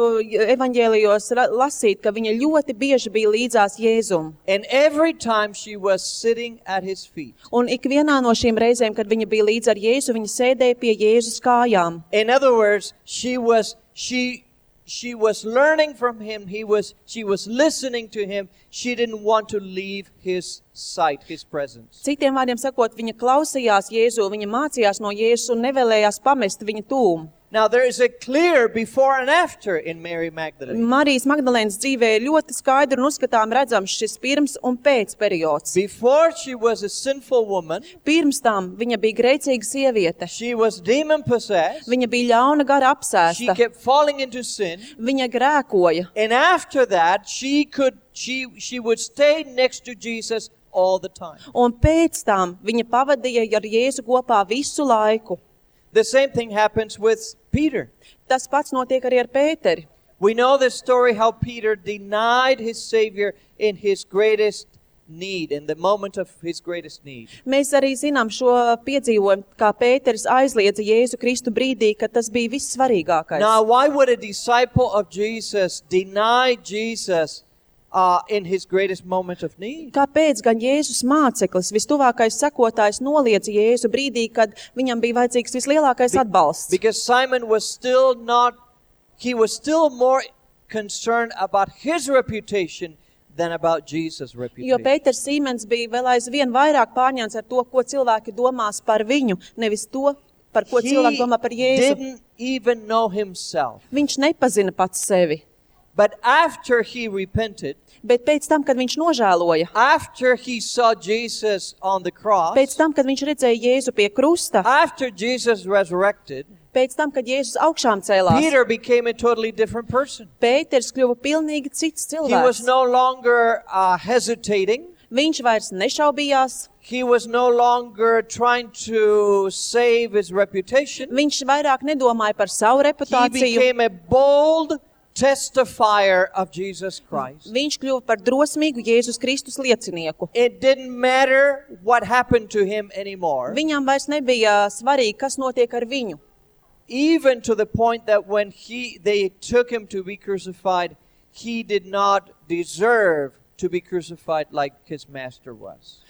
evaņģēlijos ra- lasīt, ka viņa ļoti bieži bija līdzās Jēzum.
And every time she was sitting at his feet.
Un ikvienā no šīm reizēm, kad viņa bija līdz ar Jēzu, viņa sēdēja pie Jēzus kājām.
In other words, she was she she was learning from him. He was she was listening to him. She didn't want to leave his sight, his presence.
Citiem vārdiem sakot, viņa klausījās Jēzu, viņa mācījās no Jēzus un nevēlējās pamest viņa tūmu.
Now there is a clear before and after in Mary Magdalene.
Marijas Magdalēnas dzīvē ir ļoti skaidri un uzskatām redzams šis pirms un pēc periods.
Before she was a sinful woman,
Pirms tam viņa bija grēcīga sieviete.
she was demon possessed.
Viņa bija ļauna gara
She
apsēsta.
kept falling into sin.
Viņa grēkoja.
And after that, she could she she would stay next to Jesus all the time.
Un pēc tam viņa pavadīja ar Jēzu kopā visu laiku.
The same thing happens with Peter.
Tas pats notiek arī ar Pēteri.
We know the story how Peter denied his Savior in his greatest need, in the moment of his greatest need.
Mēs arī zinām šo piedzīvojumu, kā Pēteris aizliedza Jēzu Kristu brīdī, kad tas bija vissvarīgākais.
Now, why would a disciple of Jesus deny Jesus uh, in his greatest moment of need?
Kāpēc gan Jēzus māceklis, vistuvākais sekotājs, noliedza Jēzu brīdī, kad viņam bija vajadzīgs vislielākais atbalsts?
Because Simon was still not, he was still more concerned about his reputation than about Jesus'
Jo
reputation.
Pēters Sīmens bija vēl aizvien vairāk pārņemts ar to, ko cilvēki domās par viņu, nevis to, par ko cilvēki domā par
He
Jēzu.
didn't even know himself.
Viņš nepazina pats sevi.
But after he repented,
Bet pēc tam, kad viņš nožēloja,
after he saw Jesus on the cross,
pēc tam, kad viņš redzēja Jēzu pie krusta,
after Jesus resurrected,
pēc tam, kad Jēzus augšām cēlās,
Peter became a totally different person.
Pēters kļuva pilnīgi cits
He was
cilvēks.
no longer uh, hesitating.
Viņš vairs nešaubījās,
He was no longer trying to save his reputation.
viņš vairāk nedomāja par savu
He
reputāciju.
became a bold, testifier of Jesus Christ.
Viņš kļuva par drosmīgu Jēzus Kristus liecinieku.
It didn't matter what happened to him anymore.
Viņam vairs nebija svarīgi, kas notiek ar viņu.
Even to the point that when he they took him to be crucified, he did not deserve to be crucified like his master was.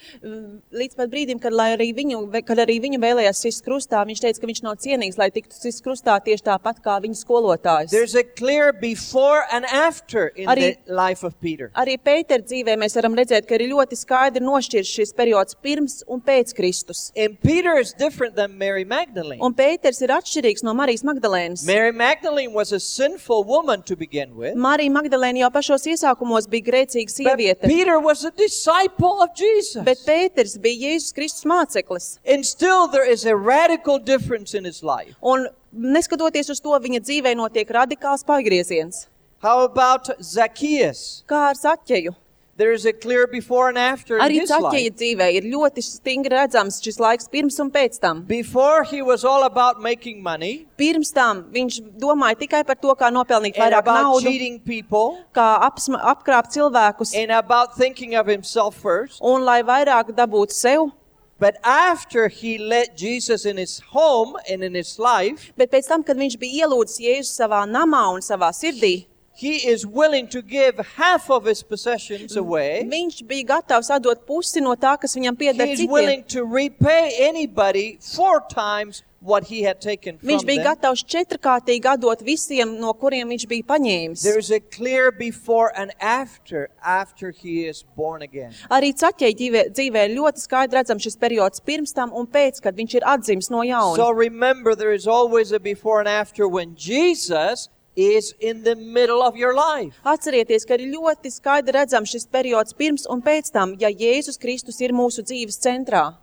Līdz pat brīdim, kad, lai arī viņu, kad arī viņu vēlējās sist krustā, viņš teica, ka viņš nav cienīgs, lai tiktu sist krustā tieši tāpat kā viņa skolotājs.
There's a clear before and after in
Arī-
the life of Peter.
Arī Pētera dzīvē mēs varam redzēt, ka ir ļoti skaidri nošķirs šis periods pirms un pēc Kristus.
And Peter is different than Mary Magdalene.
Un Pēters ir atšķirīgs no Marijas Magdalēnas.
Mary Magdalene was a sinful woman to begin with.
Marija Magdalēna jau pašos iesākumos bija grēcīga
But
sieviete,
Peter was a disciple of Jesus.
bet Pēters bija Jēzus Kristus māceklis.
And still there is a radical difference in his life.
Un neskatoties uz to, viņa dzīvē notiek radikāls pagrieziens.
How about Zacchaeus?
Kā ar Zaķeju?
There is a clear before and after in
Arī
his
Zaķeja
life.
dzīvē ir ļoti stingri redzams šis laiks pirms un pēc tam.
Before he was all about making money
Pirms tam viņš domāja tikai par to, kā nopelnīt
and
vairāk
about
naudu,
cheating people
kā apsma, apkrāpt cilvēkus
and about thinking of himself first.
un lai vairāk dabūtu sev.
But after he let Jesus in his home and in his life,
Bet pēc tam, kad viņš bija ielūdzis Jēzu savā namā un savā sirdī,
he is willing to give half of his possessions away.
viņš bija gatavs atdot pusi no tā, kas viņam pieder
He is
citiem.
willing to repay anybody four times what he had taken from
Viņš bija
them.
gatavs četrkārtīgi atdot visiem, no kuriem viņš bija paņēmis.
There is a clear before and after, after he is born again.
Arī Zaķeja dzīvē, dzīvē ir ļoti skaidri redzams šis periods pirms tam un pēc, kad viņš ir atdzimis no jauna.
So remember, there is always a before and after when Jesus is in the middle of your life.
Atcerieties, ka ir ļoti skaidri redzams šis periods pirms un pēc tam, ja Jēzus Kristus ir mūsu dzīves centrā.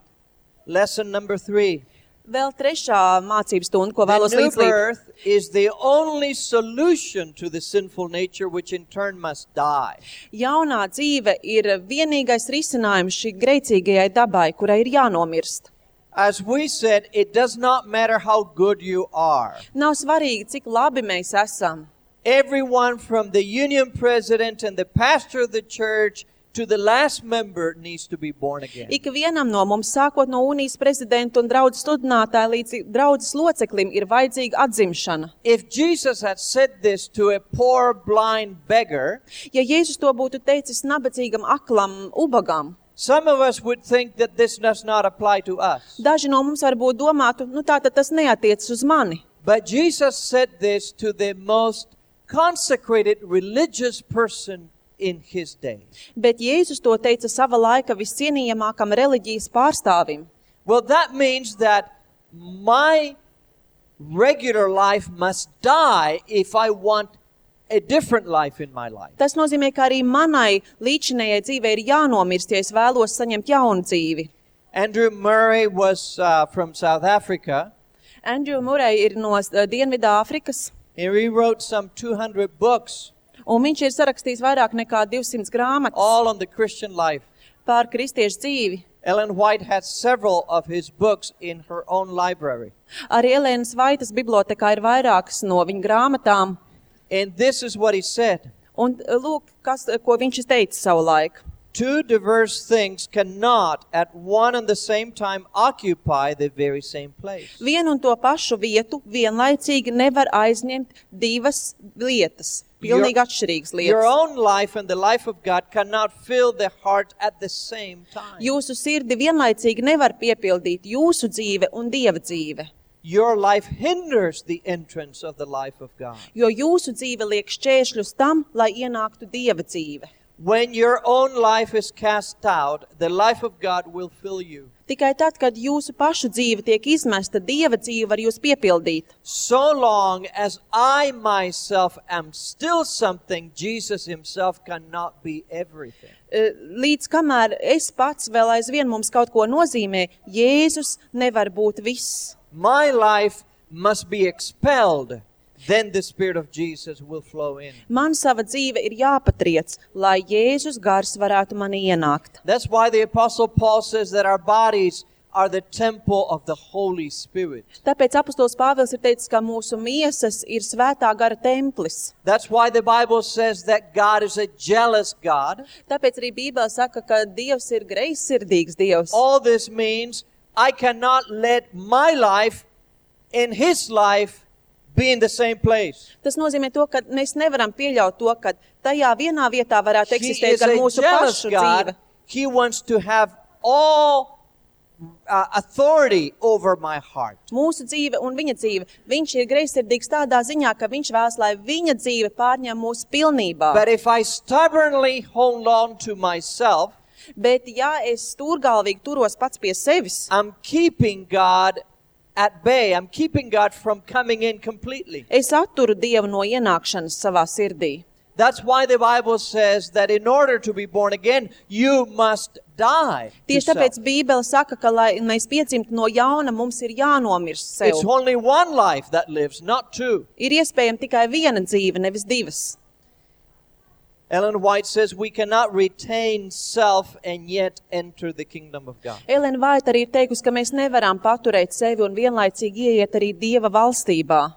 Lesson number three.
Vēl trešā mācības stunda, ko vēlos
The new
līdzlīt.
birth is the only solution to the sinful nature, which in turn must die.
Jaunā dzīve ir vienīgais risinājums šī grēcīgajai dabai, kurai ir jānomirst.
As we said, it does not matter how good you are.
Nav svarīgi, cik labi mēs esam.
Everyone from the union president and the pastor of the church to the last member needs to be born again.
Ik vienam no mums, sākot no unijas prezidenta un draudzes sludinātāja līdz draudzes loceklim, ir vajadzīga atzimšana.
If Jesus had said this to a poor blind beggar,
Ja Jēzus to būtu teicis nabadzīgam, aklam, ubagam,
some of us would think that this does not apply to us.
daži no mums varbūt domātu, nu tā tad tas neatiecas uz mani.
But Jesus said this to the most consecrated religious person in his day.
Bet Jēzus to teica sava laika viscienījamākam reliģijas pārstāvim.
Well, that means that my regular life must die if I want a different life in my life.
Tas nozīmē, ka arī manai līdzinējai dzīvei ir jānomirst, ja es vēlos saņemt jaunu dzīvi.
Andrew Murray was uh, from South Africa,
Andrew Murray ir no uh, Dienvidāfrikas,
and he wrote some two hundred books,
un viņš ir sarakstījis vairāk nekā divsimt grāmatas
all on the Christian life.
pār kristiešu dzīvi.
Ellen White has several of his books in her own library.
Arī Elēnas Vaitas bibliotēkā ir vairākas no viņa grāmatām,
And this is what he said.
un uh, lūk, kas, uh, ko viņš teica savu laiku.
Two diverse things cannot at one and the same time occupy the very same place.
Vienu un to pašu vietu vienlaicīgi nevar aizņemt divas lietas, pilnīgi
Your-
atšķirīgas
Your
lietas.
own life and the life of God cannot fill the heart at the same time.
Jūsu sirdi vienlaicīgi nevar piepildīt jūsu dzīve un Dieva dzīve,
Your life hinders the entrance of the life of God.
jo jūsu dzīve liek šķēršļus tam, lai ienāktu Dieva dzīve.
When your own life is cast out, the life of God will fill you.
Tikai tad, kad jūsu pašu dzīve tiek izmesta, Dieva dzīve var jūs piepildīt.
So long as I myself am still something, Jesus himself cannot be everything.
Eh, Līdz kamēr es pats vēl aizvien mums kaut ko nozīmē, Jēzus nevar būt viss.
My life must be expelled. Then the Spirit of Jesus will flow in.
Man sava dzīve ir jāpatriec, lai Jēzus gars varētu mani ienākt.
That's why the Apostle Paul says that our bodies are the temple of the Holy Spirit.
Tāpēc apostols Pāvils ir teicis, ka mūsu miesas ir svētā gara templis.
That's why the Bible says that God is a jealous God.
Tāpēc arī Bībele saka, ka Dievs ir greizsirdīgs Dievs.
All this means I cannot let my life and his life be in the same place.
Tas nozīmē to, ka mēs nevaram pieļaut to, ka tajā vienā vietā varētu
He
eksistēt
is
gan
a
mūsu
jealous
pašu
God.
dzīve.
He wants to have all uh, authority over my heart.
Mūsu dzīve un viņa dzīve. Viņš ir greizsirdīgs tādā ziņā, ka viņš vēlas, lai viņa dzīve pārņem mūsu pilnībā.
But if I stubbornly hold on to myself,
Bet ja es stūrgalvīgi turos pats pie sevis,
I'm keeping God at bay. I'm keeping God from coming in completely.
es atturu Dievu no ienākšanas savā sirdī.
That's why the Bible says that in order to be born again, you must die. to
Tieši
self.
tāpēc Bībele saka, ka, lai mēs piedzimtu no jauna, mums ir jānomirst sev.
It's only one life that lives, not two.
Ir iespējama tikai viena dzīve, nevis divas.
Ellen White says we cannot retain self and yet enter the kingdom of God.
Elena Vaita arī ir teikusi, ka mēs nevaram paturēt sevi un vienlaicīgi ieiet arī Dieva valstībā.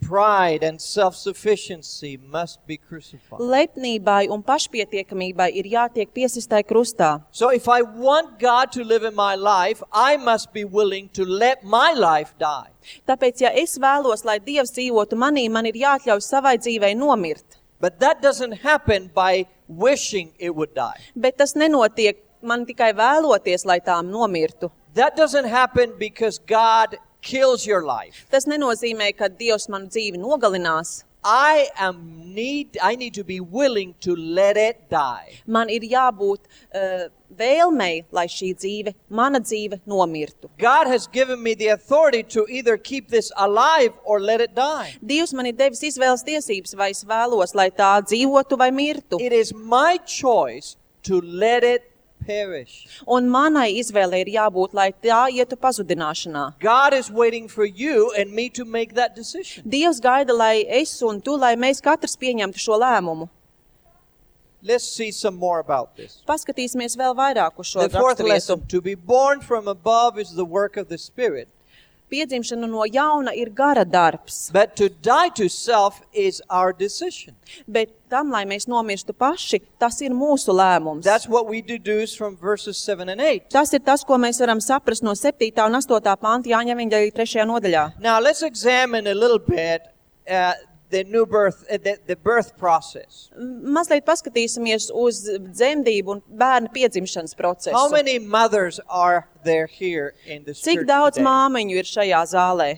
Pride and self-sufficiency must be crucified.
Lepnībai un pašpietiekamībai ir jātiek piesistai krustā.
So if I want God to live in my life, I must be willing to let my life die.
Tāpēc, ja es vēlos, lai Dievs dzīvotu manī, man ir jāatļauj savai dzīvei nomirt.
But that doesn't happen by wishing it would die.
Bet tas nenotiek man tikai vēloties, lai tām nomirtu.
That doesn't happen because God kills your life.
Tas nenozīmē, ka Dievs manu dzīvi nogalinās.
I am need I need to be willing to let it die.
Man ir jābūt uh, vēlmei, lai šī dzīve, mana dzīve, nomirtu.
God has given me the authority to either keep this alive or let it die.
Dievs man ir devis izvēles tiesības, vai es vēlos, lai tā dzīvotu vai mirtu.
It is my choice to let it perish.
Un manai izvēlei ir jābūt, lai tā ietu pazudināšanā.
God is waiting for you and me to make that decision.
Dievs gaida, lai es un tu, lai mēs katrs pieņemtu šo lēmumu.
Let's see some more about this.
Paskatīsimies vēl vairāk uz šo
The fourth
raksturvietu.
lesson, to be born from above is the work of the Spirit,
Piedzimšana no jauna ir gara darbs,
but to die to self is our decision.
bet tam, lai mēs nomirstu paši, tas ir mūsu lēmums.
That's what we deduce from verses seven and eight.
Tas ir tas, ko mēs varam saprast no septītā un astotā panta Jāņa evaņģēlija trešajā nodaļā.
Now let's examine a little bit uh, the new birth, uh, the, the birth process.
Mazliet paskatīsimies uz dzemdību un bērna piedzimšanas
How
procesu.
many mothers are there here in this
Cik
church
daudz
today?
māmiņu ir šajā zālē?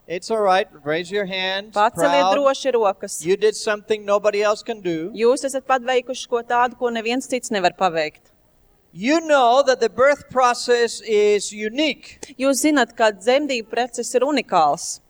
It's all right. Raise your hands.
Paceliet
Proud.
droši rokas.
You did something nobody else can do.
Jūs esat paveikuši ko tādu, ko neviens cits nevar paveikt.
You know that the birth process is unique.
Jūs zināt, ka dzemdību process ir unikāls.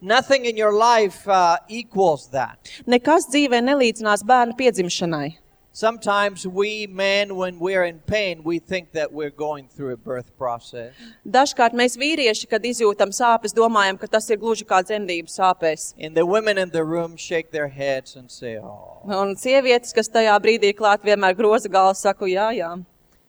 Nothing in your life uh, equals that.
Nekas dzīvē nelīdzinās bērna piedzimšanai.
Sometimes we men, when we're in pain, we think that we're going through a birth process.
Dažkārt mēs vīrieši, kad izjūtam sāpes, domājam, ka tas ir gluži kā dzemdību sāpēs.
And the women in the room shake their heads and say, oh.
Un sievietes, kas tajā brīdī ir klāt, vienmēr groza galvu, saku, jā, jā.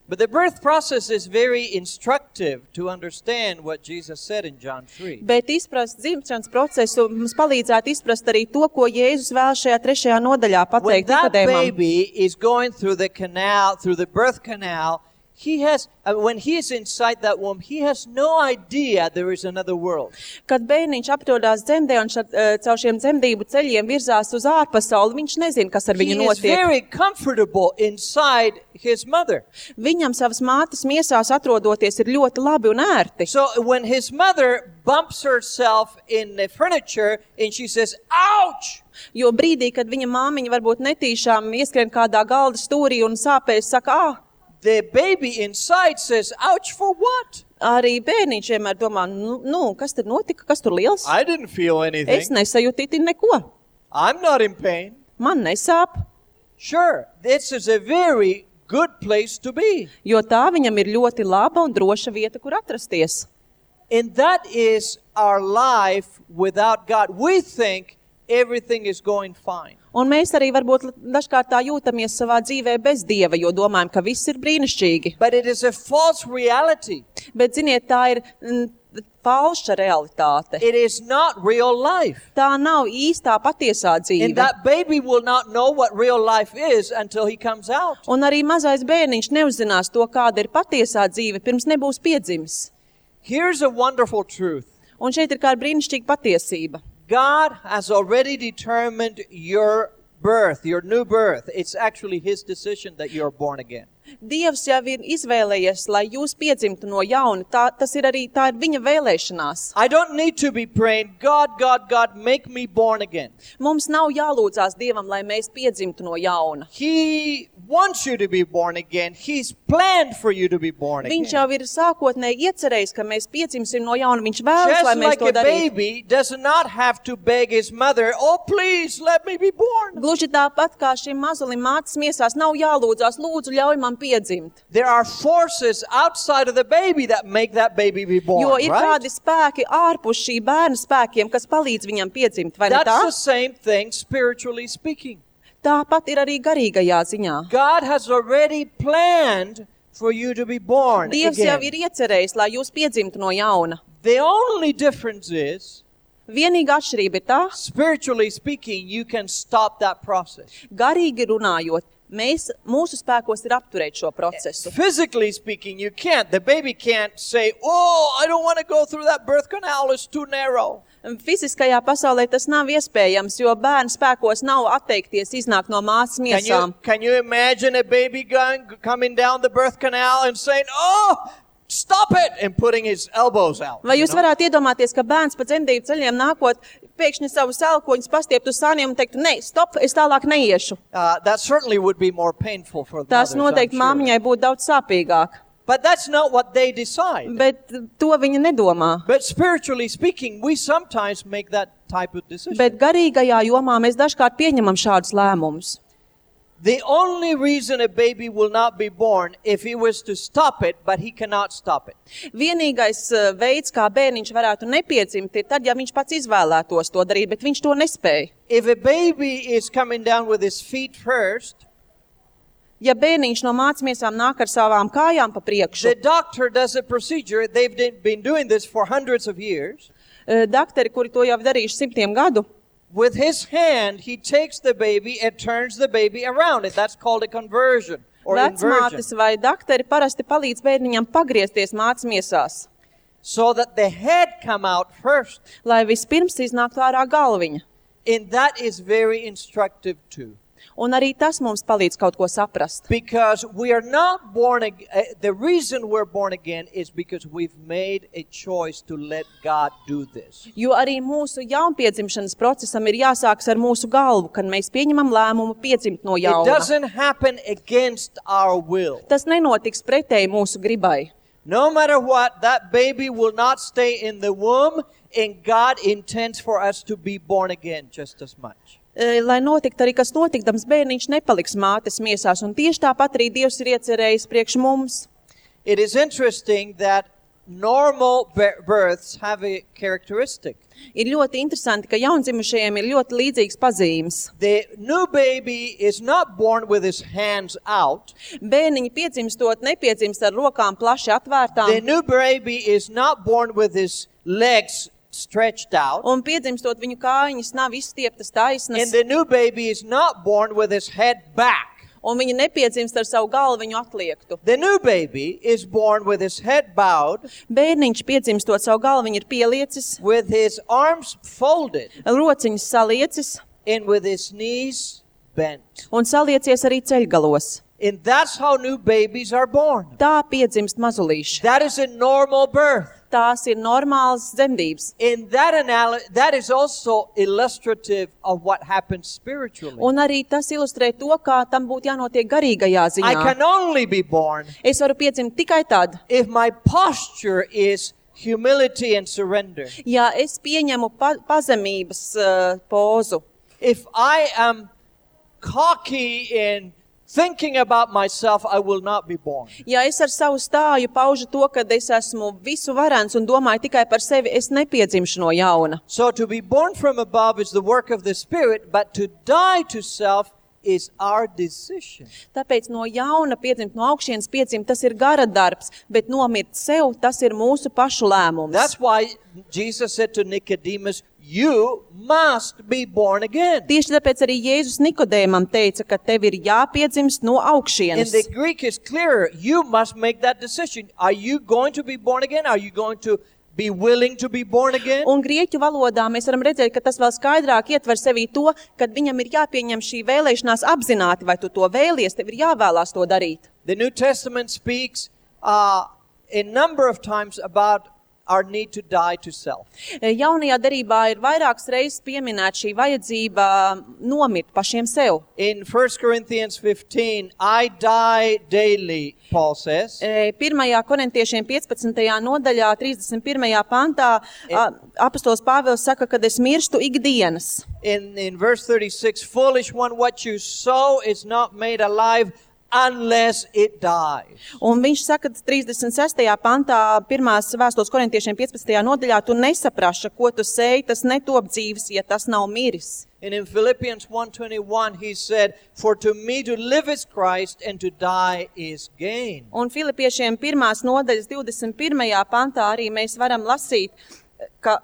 But the birth process is very instructive to understand what Jesus said in John three.
Bet izprast dzimšanas procesu mums palīdzētu izprast arī to, ko Jēzus vēl šajā trešajā nodaļā
When
pateikt
that
Nikodēmam.
baby is going through the canal, through the birth canal, he has, uh, when he is inside that womb, he has no idea there is another world.
Kad bērniņš aprodās dzemdē un šad, uh, caur šiem dzemdību ceļiem virzās uz ārpasauli, viņš nezina, kas ar
He
viņu
is
notiek.
very comfortable inside his mother.
Viņam savas mātes miesās atrodoties ir ļoti labi un ērti.
So when his mother bumps herself in the furniture and she says, ouch!
Jo brīdī, kad viņa māmiņa varbūt netīšām ieskrien kādā galda stūrī un sāpēs, saka, ah,
The baby inside says, ouch for what?
arī bērniņš vienmēr domā, nu, nu, kas tad notika, kas tur liels?
I didn't feel
Es
anything.
nesajūtīti neko.
I'm not in pain.
Man nesāp,
Sure, this is a very good place to be.
jo tā viņam ir ļoti laba un droša vieta, kur atrasties.
And that is our life without God. We think everything is going fine.
Un mēs arī varbūt dažkārt tā jūtamies savā dzīvē bez Dieva, jo domājam, ka viss ir brīnišķīgi.
But it is a false reality.
Bet, ziniet, tā ir mm, falša realitāte.
It is not real life.
Tā nav īstā patiesā
And
dzīve.
that baby will not know what real life is until he comes out.
Un arī mazais bērniņš neuzzinās to, kāda ir patiesā dzīve, pirms nebūs piedzimis.
Here's a wonderful truth.
Un šeit ir kāda brīnišķīga patiesība.
God has already determined your birth, your new birth. It's actually His decision that you're born again.
Dievs jau ir izvēlējies, lai jūs piedzimtu no jauna. Tā, tas ir arī, tā ir viņa vēlēšanās.
I don't need to be praying, God, God, God, make me born again.
Mums nav jālūdzās Dievam, lai mēs piedzimtu no jauna.
He wants you to be born again. He's planned for you to be born
Viņš
again.
jau ir sākotnēji iecerējis, ka mēs piedzimsim no jauna. Viņš vēlas, lai
Just
mēs
like
to
a
darītu.
baby does not have to beg his mother, oh, please, let me be born.
Gluži tāpat kā šim mazulim mātes miesās nav jālūdzās, lūdzu, ļauj man piedzimt.
There are forces outside of the baby that make that baby be born,
Jo ir
right?
kādi spēki ārpus šī bērna spēkiem, kas palīdz viņam piedzimt, vai ne tā?
That's the same thing spiritually speaking.
Tāpat ir arī garīgajā ziņā.
God has already planned for you to be born
Dievs jau
again.
ir iecerējis, lai jūs piedzimtu no jauna.
The only difference is,
Vienīgā atšķirība ir tā,
spiritually speaking, you can stop that process.
garīgi runājot, mēs, mūsu spēkos ir apturēt šo procesu.
Physically speaking, you can't. The baby can't say, oh, I don't want to go through that birth canal, it's too narrow.
Fiziskajā pasaulē tas nav iespējams, jo bērnu spēkos nav atteikties iznākt no māsas
Can
miesām.
you, can you imagine a baby going, coming down the birth canal and saying, oh, stop it, and putting his elbows out?
Vai
you
jūs
know?
varētu iedomāties, ka bērns pa dzemdību ceļiem nākot, pēkšņi savus elkoņus pastieptu uz sāniem un teiktu, ne, stop, es tālāk neiešu.
Uh, that certainly would be more painful for the
Tas
mothers, I'm
noteikti
sure.
māmiņai būtu daudz sāpīgāk,
But that's not what they decide.
bet to viņa nedomā.
But spiritually speaking, we sometimes make that type of decision.
Bet garīgajā jomā mēs dažkārt pieņemam šādus lēmumus.
The only reason a baby will not be born if he was to stop it, but he cannot stop it.
Vienīgais uh, veids, kā bērniņš varētu nepiedzimt, ir tad, ja viņš pats izvēlētos to darīt, bet viņš to nespēja.
If a baby is coming down with his feet first,
Ja bērniņš no mātes miesām nāk ar savām kājām pa priekšu,
the doctor does a procedure. They've been doing this for hundreds of years.
uh, dakteri, kuri to jau darījuši simtiem gadu,
With his hand, he takes the baby and turns the baby around it. That's called a conversion or inversion.
vecmātes vai dakteri parasti palīdz bērniņam pagriezties mātes miesās,
So that the head come out first.
lai vispirms iznāktu ārā galviņa.
And that is very instructive too.
Un arī tas mums palīdz kaut ko saprast.
Because we are not born again. The reason we're born again is because we've made a choice to let God do this.
Jo arī mūsu jaunpiedzimšanas procesam ir jāsāks ar mūsu galvu, kad mēs pieņemam lēmumu piedzimt no
It
jauna.
doesn't happen against our will.
Tas nenotiks pretēji mūsu gribai.
No matter what, that baby will not stay in the womb, and God intends for us to be born again just as much.
E, Lai notiktu arī, kas notikdams, bērniņš nepaliks mātes miesās, un tieši tāpat arī Dievs ir iecerējis priekš mums.
It is interesting that normal bir- births have a characteristic.
Ir ļoti interesanti, ka jaundzimušajiem ir ļoti līdzīgas pazīmes.
The new baby is not born with his hands out.
Bērniņi piedzimstot nepiedzimst ar rokām plaši
The
atvērtām,
new baby is not born with his legs stretched out.
un piedzimstot viņu kājiņas nav izstieptas
And
taisnas,
the new baby is not born with his head back.
un viņi nepiedzimst ar savu galviņu atliektu.
The new baby is born with his head bowed,
Bērniņš piedzimstot savu galviņu ir pieliecis,
with his arms folded,
rociņas saliecis
and with his knees bent.
un saliecies arī ceļgalos.
And that's how new babies are born.
Tā piedzimst mazulīši.
That is a normal birth.
Tās ir normālas dzemdības.
And that anal- that is also illustrative of what happens spiritually.
Un arī tas ilustrē to, kā tam būtu jānotiek garīgajā
I
ziņā.
can only be born
Es varu piedzimt tikai tad,
if my posture is humility and surrender.
ja es pieņemu pa pazemības uh, pozu.
If I am cocky and thinking about myself, I will not be born.
Ja es ar savu stāju paužu to, ka es esmu visu varens un domāju tikai par sevi, es nepiedzimšu no jauna.
So to be born from above is the work of the Spirit, but to die to self is our decision.
Tāpēc no jauna piedzimt, no augšienes piedzimt, tas ir gara darbs, bet nomirt sev, tas ir mūsu pašu lēmums.
That's why Jesus said to Nicodemus, you must be born again.
Tieši tāpēc arī Jēzus Nikodēmam teica, ka tev ir jāpiedzimst no
In
augšienes.
the Greek is clearer. You must make that decision. Are you going to be born again? Are you going to be willing to be born again?
Un grieķu valodā mēs varam redzēt, ka tas vēl skaidrāk ietver sevī to, kad viņam ir jāpieņem šī vēlēšanās apzināti, vai tu to vēlies, tev ir jāvēlās to darīt.
The New Testament speaks uh, a number of times about our need to die to self.
Jaunajā derībā ir vairākas reizes pieminēta šī vajadzība nomirt pašiem sev.
In First Corinthians fifteen, I die daily, Paul says.
Pirmajā korintiešiem piecpadsmitajā nodaļā, trīsdesmit pirmajā pantā, apostols Pāvils saka, kad es mirstu ikdienas.
In, in verse thirty-six, foolish one, what you sow is not made alive unless it dies.
Un viņš saka trīsdesmit sestajā pantā, pirmās vēstules korintiešiem piecpadsmitajā nodaļā, tu nesapraši, ko tu sēji, tas netop dzīves, ja tas nav miris.
And in Philippians one twenty-one, he said, for to me to live is Christ and to die is gain.
Un Filipiešiem pirmās nodaļas divdesmit pirmajā pantā arī mēs varam lasīt, ka,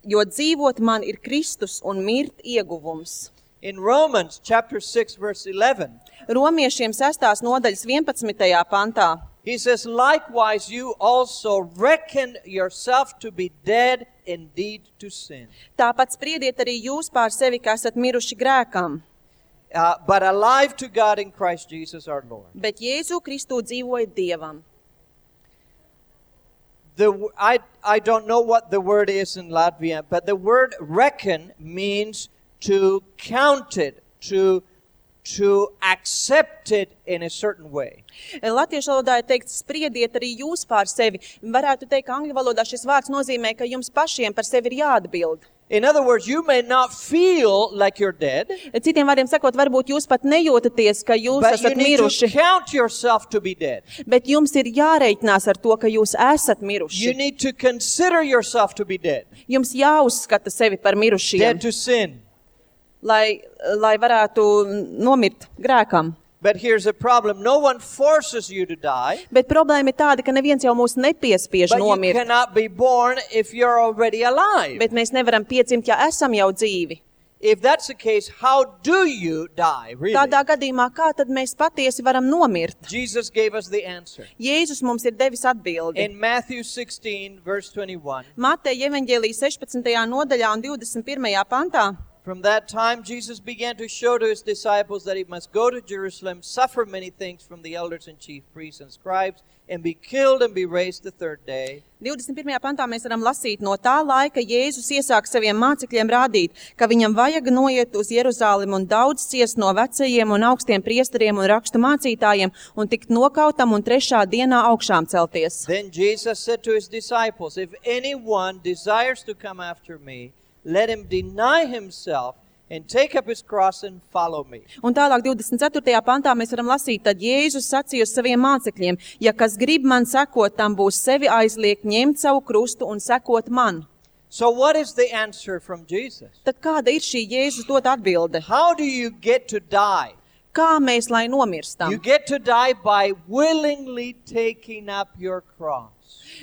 jo dzīvot man ir Kristus un mirt ieguvums.
In Romans chapter six, verse eleven,
Romiešiem sestās nodaļas vienpadsmitajā pantā.
he says, likewise you also reckon yourself to be dead indeed to sin,
Tāpat spriediet arī jūs pār sevi, ka esat miruši grēkam,
uh, but alive to God in Christ Jesus our Lord.
bet Jēzu Kristu dzīvoja Dievam.
The, I, I don't know what the word is in Latvian, but the word reckon means to count it, to, to accept it in a certain way.
Latviešu valodā ir teikts, spriediet arī jūs pār sevi. Varētu teikt, ka angļu valodā šis vārds nozīmē, ka jums pašiem par sevi ir jāatbild.
In other words, you may not feel like you're dead,
Citiem vārdiem sakot, varbūt jūs pat nejūtaties, ka jūs
but you
esat
need to
miruši,
count yourself to be dead.
bet jums ir jāreikinās ar to, ka jūs esat
You
miruši.
need to consider yourself to be dead,
Jums jāuzskata sevi par mirušiem,
dead to sin.
lai, lai varētu nomirt grēkam.
But here's the problem. No one forces you to die,
Bet problēma ir tāda, ka neviens jau mūs nepiespiež
but you
nomirt,
cannot be born if you're already alive.
bet mēs nevaram piedzimt, ja esam jau dzīvi.
If that's the case, how do you die, really?
Tādā gadījumā, kā tad mēs patiesi varam nomirt?
Jesus gave us the answer.
Jēzus mums ir devis atbildi.
In Matthew sixteen, verse twenty-one,
Mateja evaņģēlijas sešpadsmitajā nodaļā un divdesmit pirmajā pantā.
from that time Jesus began to show to his disciples that he must go to Jerusalem, suffer many things from the elders and chief priests and scribes, and be killed and be raised the third day.
divdesmit pirmajā pantā mēs varam lasīt, no tā laika Jēzus iesāk saviem mācekļiem rādīt, ka viņam vajag noiet uz Jeruzalem un daudz ciest no vecajiem un augstiem priesteriem un rakstu mācītājiem un tikt nokautam un trešā dienā augšām celties.
Then Jesus said to his disciples, if anyone desires to come after me, let him deny himself and take up his cross and follow me.
Un tālāk divdesmit ceturtajā pantā mēs varam lasīt, tad Jēzus sacīja uz saviem mācekļiem, ja kas grib man sekot, tam būs sevi aizliegt, ņemt savu krustu un sekot man.
So what is the answer from Jesus?
Tad kāda ir šī Jēzus dot atbilde?
How do you get to die?
Kā mēs lai nomirstam?
You get to die by willingly taking up your cross.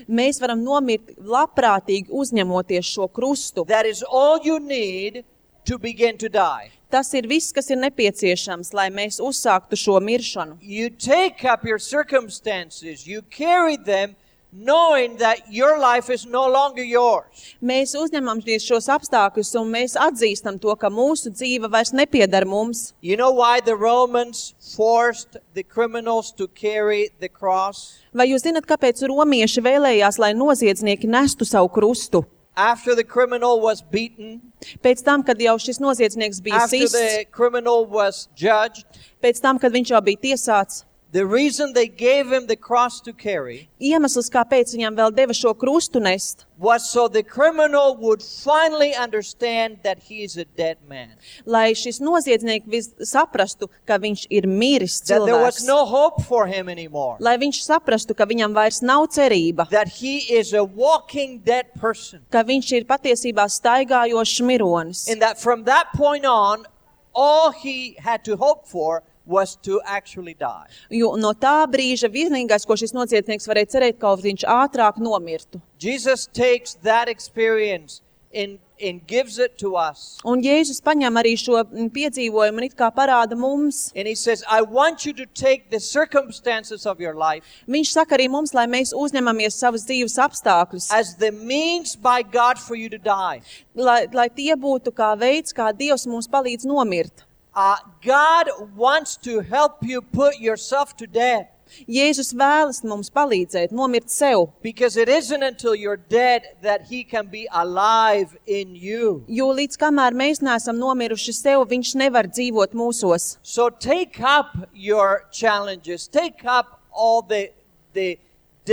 Mēs varam nomirt labprātīgi uzņemoties šo krustu.
That is all you need to begin to die.
Tas ir viss, kas ir nepieciešams, lai mēs uzsāktu šo miršanu.
You take up your circumstances, you carry them, knowing that your life is no longer yours.
Mēs uzņemamies šos apstākļus un mēs atzīstam to, ka mūsu dzīve vairs nepiedar mums.
You know why the Romans forced the criminals to carry the cross?
Vai jūs zināt, kāpēc romieši vēlējās, lai noziedznieki nestu savu krustu?
After the criminal was beaten,
Pēc tam, kad jau šis noziedznieks bija
after
sists,
the criminal was judged,
pēc tam, kad viņš jau bija tiesāts,
The reason they gave him the cross to carry
Iemesls, kāpēc viņam vēl deva šo krustu nest,
was so the criminal would finally understand that he is a dead man.
lai šis noziedznieks vis saprastu, ka viņš ir miris
That there was
cilvēks.
no hope for him anymore.
Lai viņš saprastu, ka viņam vairs nav cerība,
That he is a walking dead person.
ka viņš ir patiesībā staigājošs mironis.
And that from that point on, all he had to hope for was to actually die.
Jo no tā brīža vienīgais, ko šis noziedznieks varēja cerēt, ka viņš ātrāk nomirtu.
Jesus takes that experience and, and gives it to us.
Un Jēzus paņem arī šo piedzīvojumu un it kā parāda mums.
And he says, I want you to take the circumstances of your life
Viņš saka arī mums, lai mēs uzņemamies savas dzīves apstākļus,
as the means by God for you to die.
lai, lai tie būtu kā veids, kā Dievs mums palīdz nomirt.
Uh, God wants to help you put yourself to death.
Jēzus vēlas mums palīdzēt nomirt sev,
Because it isn't until you're dead that he can be alive in you.
jo līdz kamēr mēs neesam nomiruši sev, viņš nevar dzīvot mūsos.
So take up your challenges. Take up all the, the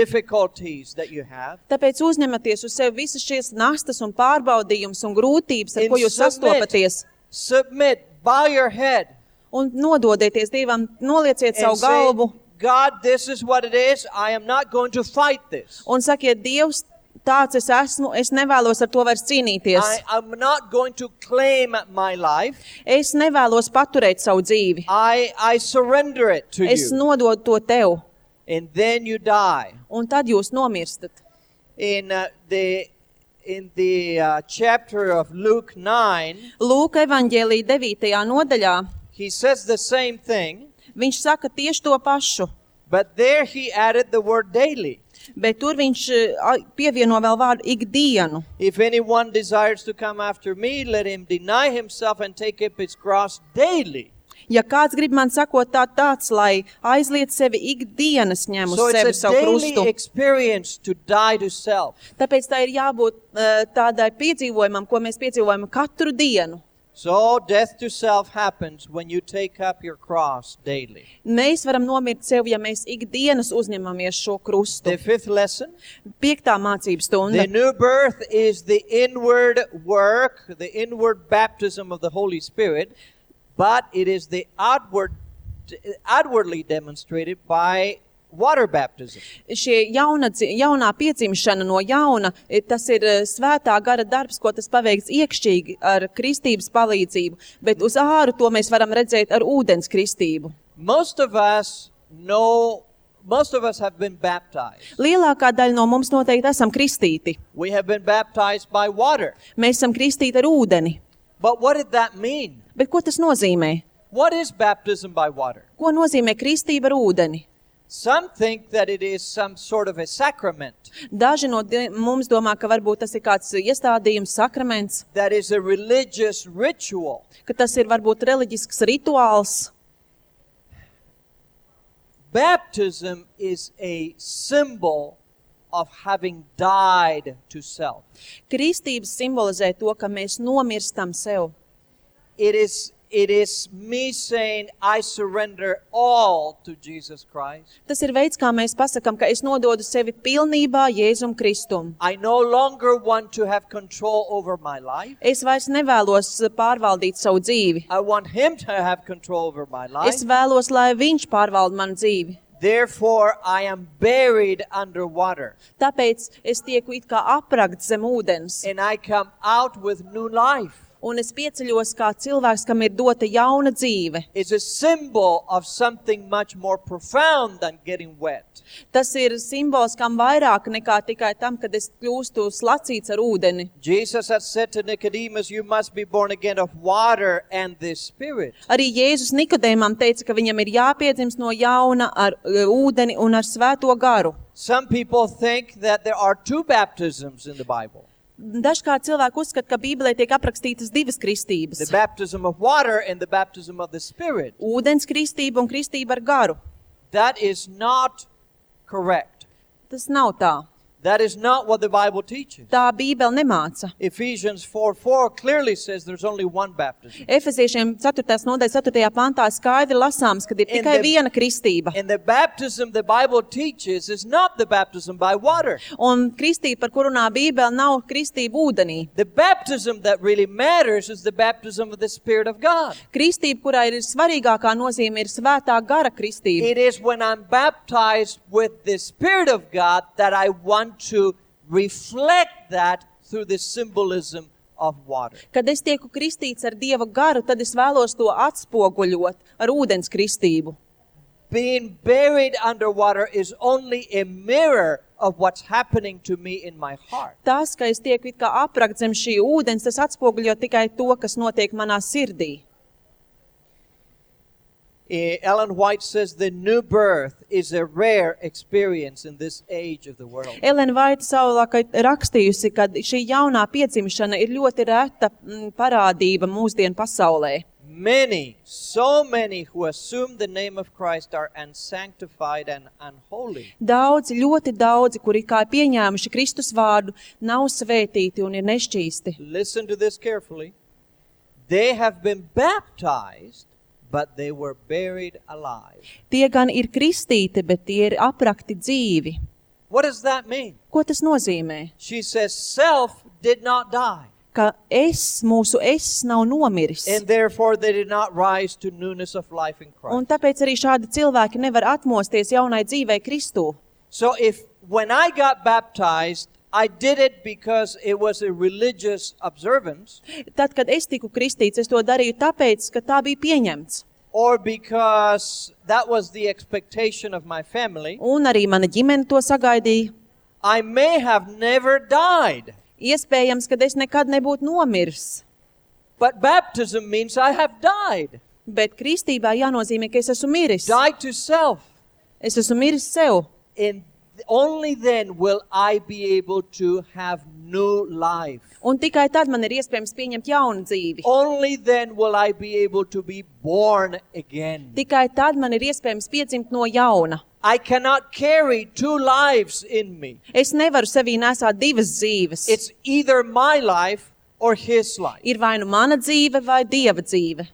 difficulties that you have.
Tāpēc uzņematies uz sevi visas šīs nastas un pārbaudījums un grūtības, ar
And
ko jūs sastopaties,
submit, bow your head.
un nododieties Dievam, nolieciet
And
savu
say,
galvu
God, this is what it is. I am not going to fight this.
un sakiet, Dievs, tāds es esmu, es nevēlos ar to vairs cīnīties.
I am not going to claim my life.
Es nevēlos paturēt savu dzīvi.
I, I surrender it to
Es
you.
nododu to tev,
And then you die.
un tad jūs nomirstat.
In uh, the in the uh, chapter of Luke nine,
Lūka evaņģēlija devītajā nodaļā
he says the same thing,
viņš saka tieši to pašu,
but there he added the word daily.
bet tur viņš eh, a- pievieno vēl vārdu ikdienu.
If anyone desires to come after me, let him deny himself and take up his cross daily.
Ja kāds grib man sakot tā tāds, lai aizliet sevi ikdienas ņem uz
So
sevi
it's a
savu
daily
krustu.
experience to die to self.
Tāpēc tā ir jābūt eh, tādai piedzīvojumam, ko mēs piedzīvojam katru dienu.
So death to self happens when you take up your cross daily.
Mēs varam nomirt sev, ja mēs ikdienas uzņemamies šo krustu.
The fifth lesson,
Piektā mācības stunda.
the new birth is the inward work, the inward baptism of the Holy Spirit, but it is the outward, outwardly demonstrated by water baptism.
Šie jauna, dzi- jaunā piedzimšana no jauna, eh, tas ir eh, svētā gara darbs, ko tas paveikts iekšķīgi ar kristības palīdzību, bet uz āru to mēs varam redzēt ar ūdens kristību.
Most of us know, most of us have been baptized.
Lielākā daļa no mums noteikti esam kristīti.
We have been baptized by water.
Mēs esam kristīti ar ūdeni.
But what did that mean?
Bet ko tas nozīmē?
What is baptism by water?
Ko nozīmē kristība ar ūdeni?
Some think that it is some sort of a sacrament,
Daži no di- mums domā, ka varbūt tas ir kāds iestādījums, sakraments,
that is a religious ritual.
ka tas ir varbūt reliģisks rituāls.
Baptism is a symbol of having died to self.
Kristības simbolizē to, ka mēs nomirstam sev.
It is, it is me saying, I surrender all to Jesus Christ.
Tas ir veids, kā mēs pasakam, ka es nododu sevi pilnībā Jēzum Kristum.
I no longer want to have control over my life.
Es vairs nevēlos pārvaldīt savu dzīvi.
I want Him to have control over my life.
Es vēlos, lai viņš pārvalda manu dzīvi.
Therefore, I am buried under water,
Tāpēc es tieku it kā aprakt zem ūdens.
and I come out with new life.
Un es pieceļos kā cilvēks, kam ir dota jauna dzīve.
It's a symbol of something much more profound than getting wet.
Tas ir simbols, kam vairāk nekā tikai tam, kad es kļūstu slacīts ar ūdeni.
Jesus had said to Nicodemus, you must be born again of water and the Spirit.
Arī Jēzus Nikodēmam teica, ka viņam ir jāpiedzimst no jauna ar uh, ūdeni un ar svēto garu.
Some people think that there are two baptisms in the Bible.
Dažkārt cilvēki uzskata, ka Bībelē tiek aprakstītas divas kristības.
The baptism of water and the baptism of the Spirit.
Ūdens kristība un kristība ar garu.
That is not correct.
Tas nav tā.
That is not what the Bible teaches.
Tā Bībele nemāca.
Ephesians four four clearly says there's only one baptism.
Efeziešiem ceturtās nodaļas ceturtajā pantā skaidri lasāms, ka ir
In
tikai
the-
viena kristība.
And the baptism the Bible teaches is not the baptism by water.
Un kristība, par kuru runā Bībele, nav kristība ūdenī.
The baptism that really matters is the baptism of the Spirit of God.
Kristība, kurā ir svarīgākā nozīme, ir svētā gara kristība.
It is when I'm baptized with the Spirit of God that I want to reflect that through the symbolism of water.
Kad es tieku kristīts ar Dieva garu, tad es vēlos to atspoguļot ar ūdens kristību.
Being buried underwater is only a mirror of what's happening to me in my heart.
Tas, ka es tieku it kā aprakt zem šī ūdens, tas atspoguļo tikai to, kas notiek manā sirdī.
Eh, Ellen White says the new birth is a rare experience in this age of the world.
Elena Vaita savulaik rakstījusi, ka šī jaunā piedzimšana ir ļoti reta mm, parādība mūsdienu pasaulē.
Many, so many who assume the name of Christ are unsanctified and unholy.
Daudzi, ļoti daudzi, kuri kā pieņēmuši Kristus vārdu, nav svētīti un ir nešķīsti.
Listen to this carefully. They have been baptized, but they were buried alive.
Tie gan ir kristīti, bet tie ir aprakti dzīvi.
What does that mean?
Ko tas nozīmē?
She says self did not die,
Ka es, mūsu es nav nomiris.
and therefore they did not rise to newness of life in
Un
Christ.
tāpēc arī šādi cilvēki nevar atmosties jaunai dzīvei Kristū.
So if when I got baptized, I did it because it was a religious observance,
Tad, kad es tiku kristīts, es to darīju tāpēc, ka tā bija pieņemts.
or because that was the expectation of my family,
Un arī mana ģimene to sagaidīja.
I may have never died.
Iespējams, ka es nekad nebūtu nomiris.
But baptism means I have died.
Bet kristībā jānozīmē, ka es esmu miris.
Died to self.
Es esmu miris sev.
And only then will I be able to have new life.
Un tikai tad man ir iespējams pieņemt jaunu dzīvi.
Only then will I be able to be born again.
Tikai tad man ir iespējams piedzimt no jauna.
I cannot carry two lives in me.
Es nevaru sevī nesāt divas dzīves.
It's either my life or his life.
Ir vai nu mana dzīve vai Dieva dzīve.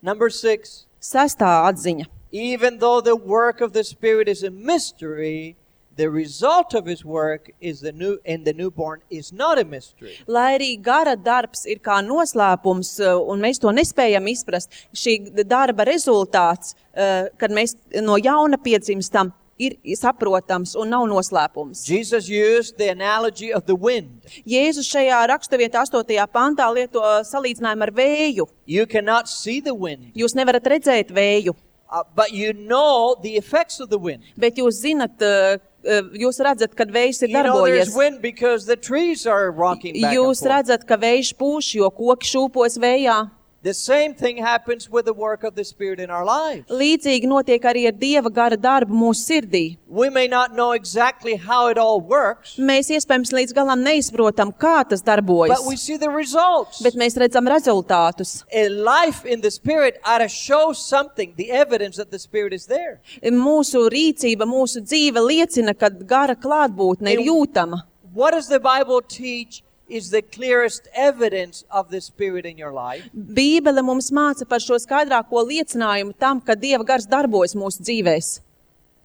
Number six,
Sestā atziņa.
even though the work of the Spirit is a mystery, the result of his work is the new in the newborn is not a mystery.
Lai arī gara darbs ir kā noslēpums, uh, un mēs to nespējam izprast, šī darba rezultāts, uh, kad mēs no jauna piedzimstam, ir saprotams un nav noslēpums.
Jesus used the analogy of the wind.
Jēzus šajā raksturvietā astotajā pantā lieto salīdzinājumu ar vēju.
You cannot see the wind,
Jūs nevarat redzēt vēju,
uh, but you know the effects of the wind.
bet jūs zinat, uh, uh, jūs redzat, kad vējs ir
You know there's
darbojies.
wind because the trees are rocking back and
Jūs
forth.
redzat, ka vējš pūš, jo koki šūpojas vējā.
The same thing happens with the work of the Spirit in our lives.
Līdzīgi notiek arī ar Dieva gara darbu mūsu sirdī.
We may not know exactly how it all works,
Mēs iespējams līdz galam neizprotam, kā tas darbojas,
but we see the results.
bet mēs redzam rezultātus.
A life in the Spirit ought to show something, the evidence that the Spirit is there.
Mūsu rīcība, mūsu dzīve liecina, ka gara klātbūtne ir jūtama.
What does the Bible teach is the clearest evidence of the Spirit in your life?
Bībele mums māca par šo skaidrāko liecinājumu tam, ka Dieva gars darbojas mūsu dzīvēs.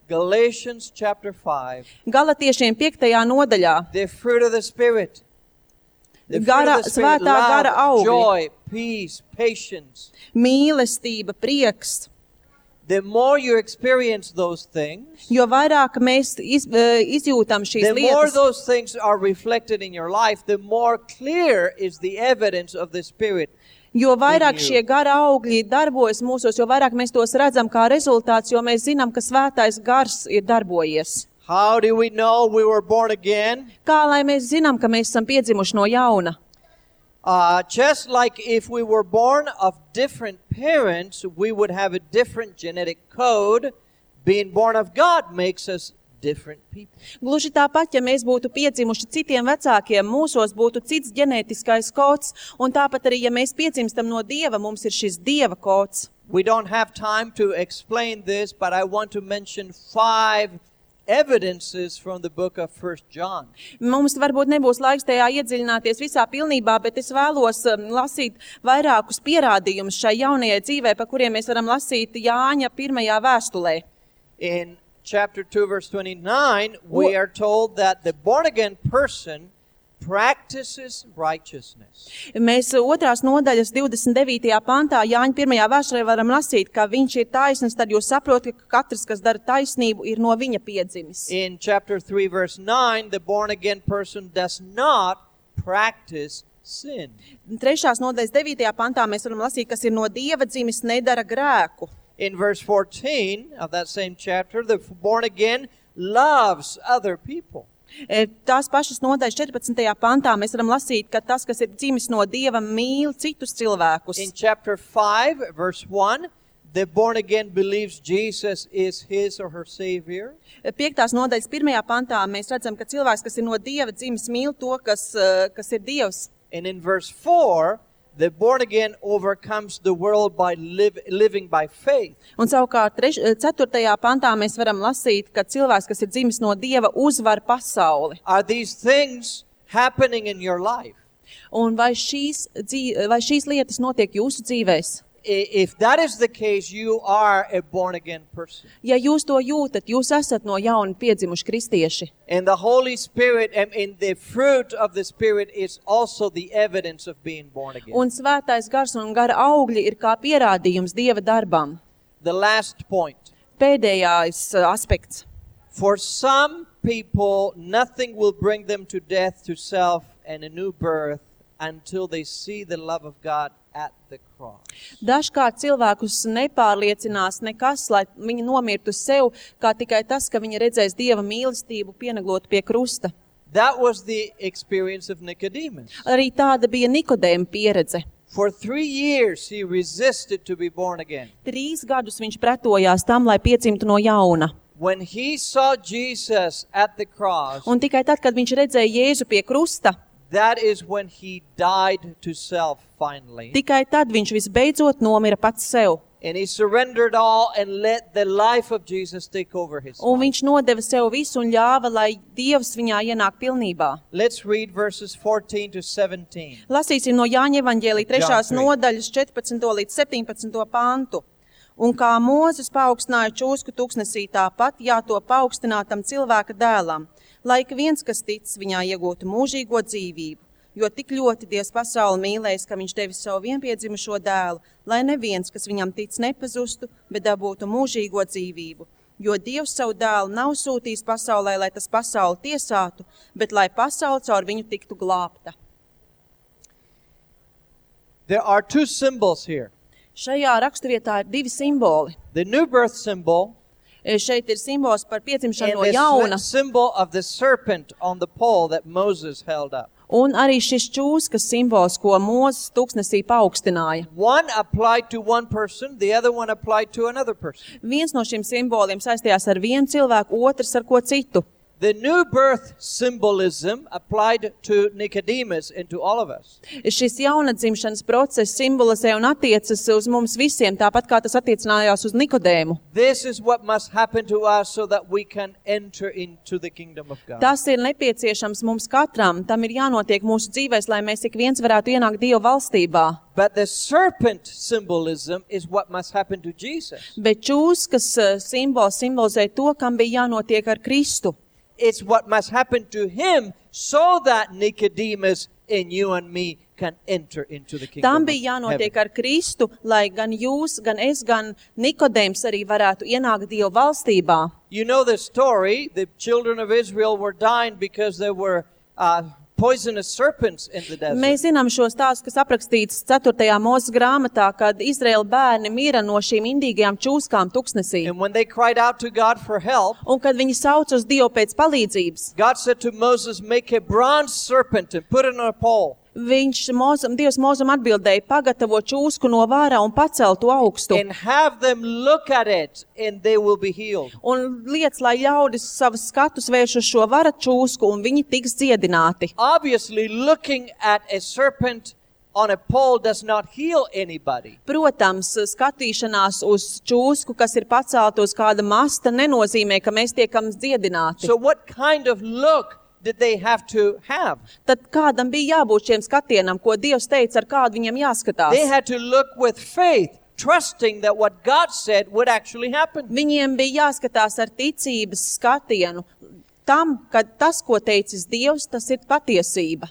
Galatians chapter five.
Galatiešiem piektajā nodaļā.
The fruit of the Spirit. The fruit
Gara-
of the Spirit,
svētā gara
love,
augļi.
joy, peace, patience.
Mīlestība, prieks.
The more you experience those things,
Jo vairāk mēs iz, eh, izjūtam šīs
the more
lietas,
those things are reflected in your life, the more clear is the evidence of the Spirit.
jo vairāk
in you.
šie gara augļi darbojas mūsos, jo vairāk mēs tos redzam kā rezultāts, jo mēs zinām, ka svētais gars ir darbojies.
How do we know we were born again?
Kā lai mēs zinām, ka mēs esam piedzimuši no jauna?
Uh, just like if we were born of different parents, we would have a different genetic code. Being born of God makes us different people.
Gluži tāpat, ja mēs būtu piedzimuši citiem vecākiem, mūsos būtu cits ģenētiskais kods, un tāpat arī, ja mēs piedzimstam no Dieva, mums ir šis Dieva kods.
We don't have time to explain this, but I want to mention five evidences from the book of First John.
Mums varbūt nebūs laiks tajā iedziļināties visā pilnībā, bet es vēlos um, lasīt vairākus pierādījumus šai jaunajai dzīvē, pa kuriem mēs varam lasīt Jāņa pirmajā vēstulē.
In chapter two, verse twenty-nine, we are told that the born-again person practices righteousness.
Mēs otrās nodaļas divdesmit devītajā pantā Jāņa pirmajā vēstulē varam lasīt, ka viņš ir taisns, tad jūs saprotat, ka katrs, kas dara taisnību, ir no viņa piedzimis.
In chapter three, verse nine, the born-again person does not practice sin.
Trešās nodaļas devītajā pantā mēs varam lasīt, kas ir no Dieva dzimis, nedara grēku.
In verse fourteen of that same chapter, the born-again loves other people.
Tās pašas nodaļas četrpadsmitajā pantā mēs varam lasīt, ka tas, kas ir dzimis no Dieva, mīl citus cilvēkus.
In chapter five, verse one, the born-again believes Jesus is his or her Savior.
Piektās nodaļas pirmajā pantā mēs redzam, ka cilvēks, kas ir no Dieva dzimis, mīl to, kas, kas ir Dievs.
And in verse four, the born-again overcomes the world by live, living by faith.
Un savukārt treš, ceturtajā pantā mēs varam lasīt, ka cilvēks, kas ir dzimis no Dieva, uzvar pasauli.
Are these things happening in your life?
Un vai šīs, dzīv, vai šīs lietas notiek jūsu dzīvēs?
If that is the case, you are a born-again person.
Ja jūs to jūtat, jūs esat no jauna piedzimuši kristieši.
And the Holy Spirit and in the fruit of the Spirit is also the evidence of being born again.
Un svētais gars un gara augļi ir kā pierādījums Dieva darbam.
The last point.
Pēdējais aspekts.
For some people, nothing will bring them to death, to self, and a new birth until they see the love of God at the cross.
Dažkārt cilvēkus nepārliecinās nekas, lai viņi nomirtu sev, kā tikai tas, ka viņi redzēs Dieva mīlestību pieneglot pie krusta.
That was the experience of Nicodemus.
Arī tāda bija Nikodēma pieredze.
For three years he resisted to be born again.
Trīs gadus viņš pretojās tam, lai piedzimtu no jauna.
When he saw Jesus at the cross,
Un tikai tad, kad viņš redzēja Jēzu pie krusta,
that is when he died to self finally.
tikai tad viņš visbeidzot nomira pats sev.
And he surrendered all and let the life of Jesus take over his
Un
life.
viņš nodeva sev visu un ļāva, lai Dievs viņā ienāk pilnībā.
Let's read verses fourteen to seventeen.
Lasīsim no Jāņa evaņģēlija trešās
John three.
nodaļas četrpadsmito līdz septiņpadsmito pantu. Un kā Mūzes paaugstināja čūsku tuksnesī, tāpat jātop paaugstinātam cilvēka dēlam, lai ik viens, kas tic, viņā iegūtu mūžīgo dzīvību. Jo tik ļoti Dievs pasauli mīlējis, ka viņš devis savu vienpiedzimušo dēlu, lai neviens, kas viņam tic, nepazustu, bet dabūtu mūžīgo dzīvību. Jo Dievs savu dēlu nav sūtījis pasaulē, lai tas pasauli tiesātu, bet lai pasauli caur viņu tiktu glābta.
There are two symbols here.
Šajā raksturvietā ir divi simboli.
The new birth symbol
Šeit ir simbols par piedzimšanu
and
no
the
jauna,
s- symbol of the serpent on the pole that Moses held up.
un arī šis čūskas simbols, ko Mūzes tuksnesī paaugstināja.
One applied to one person, the other one applied to another person.
Viens no šiem simboliem saistījās ar vienu cilvēku, otrs ar ko citu.
The new birth symbolism applied to Nicodemus and to all of us.
Šis jaunadzimšanas process simbolizē un attiecas uz mums visiem, tāpat kā tas attiecinājās uz Nikodēmu.
This is what must happen to us so that we can enter into the kingdom of God.
Tas ir nepieciešams mums katram, tam ir jānotiek mūsu dzīvēs, lai mēs ik viens varētu ienākt Dieva valstībā.
But the serpent symbolism is what must happen to Jesus.
Bet čūskas eh, simbols simbolizē to, kam bija jānotiek ar Kristu.
It's what must happen to him so that Nicodemus and you and me can enter into the kingdom
Tam
of
bija jānotiek
heaven.
ar Kristu, lai gan jūs, gan es, gan Nikodēms arī varētu ienākt Dieva valstībā.
You know the story. The children of Israel were dying because there were uh, poisonous serpents in the desert.
Mēs zinām šo stāstu, kas aprakstīts ceturtajā Mūzes grāmatā, kad Izraēla bērni mira no šīm indīgajām čūskām tuksnesī.
And when they cried out to God for help,
Un kad viņi sauc uz Dievu pēc palīdzības,
God said to Moses, make a bronze serpent and put it on a pole.
viņš, Mozum, Dievs Mozum atbildēja, pagatavo čūsku no vārā un pacel to augstu.
And have them look at it and they will be healed.
Un liec, lai ļaudis savus skatus vērš uz šo vara čūsku un viņi tiks dziedināti.
Obviously, looking at a serpent on a pole does not heal anybody.
Protams, skatīšanās uz čūsku, kas ir pacelta uz kāda masta, nenozīmē, ka mēs tiekam dziedināti.
So what kind of look did they have to have?
Tad kādam bija jābūt šiem skatienam, ko Dievs teica, ar kādu viņam jāskatās?
They had to look with faith, trusting that what God said would actually happen.
Viņiem bija jāskatās ar ticības skatienu tam, ka tas, ko teicis Dievs, tas ir patiesība.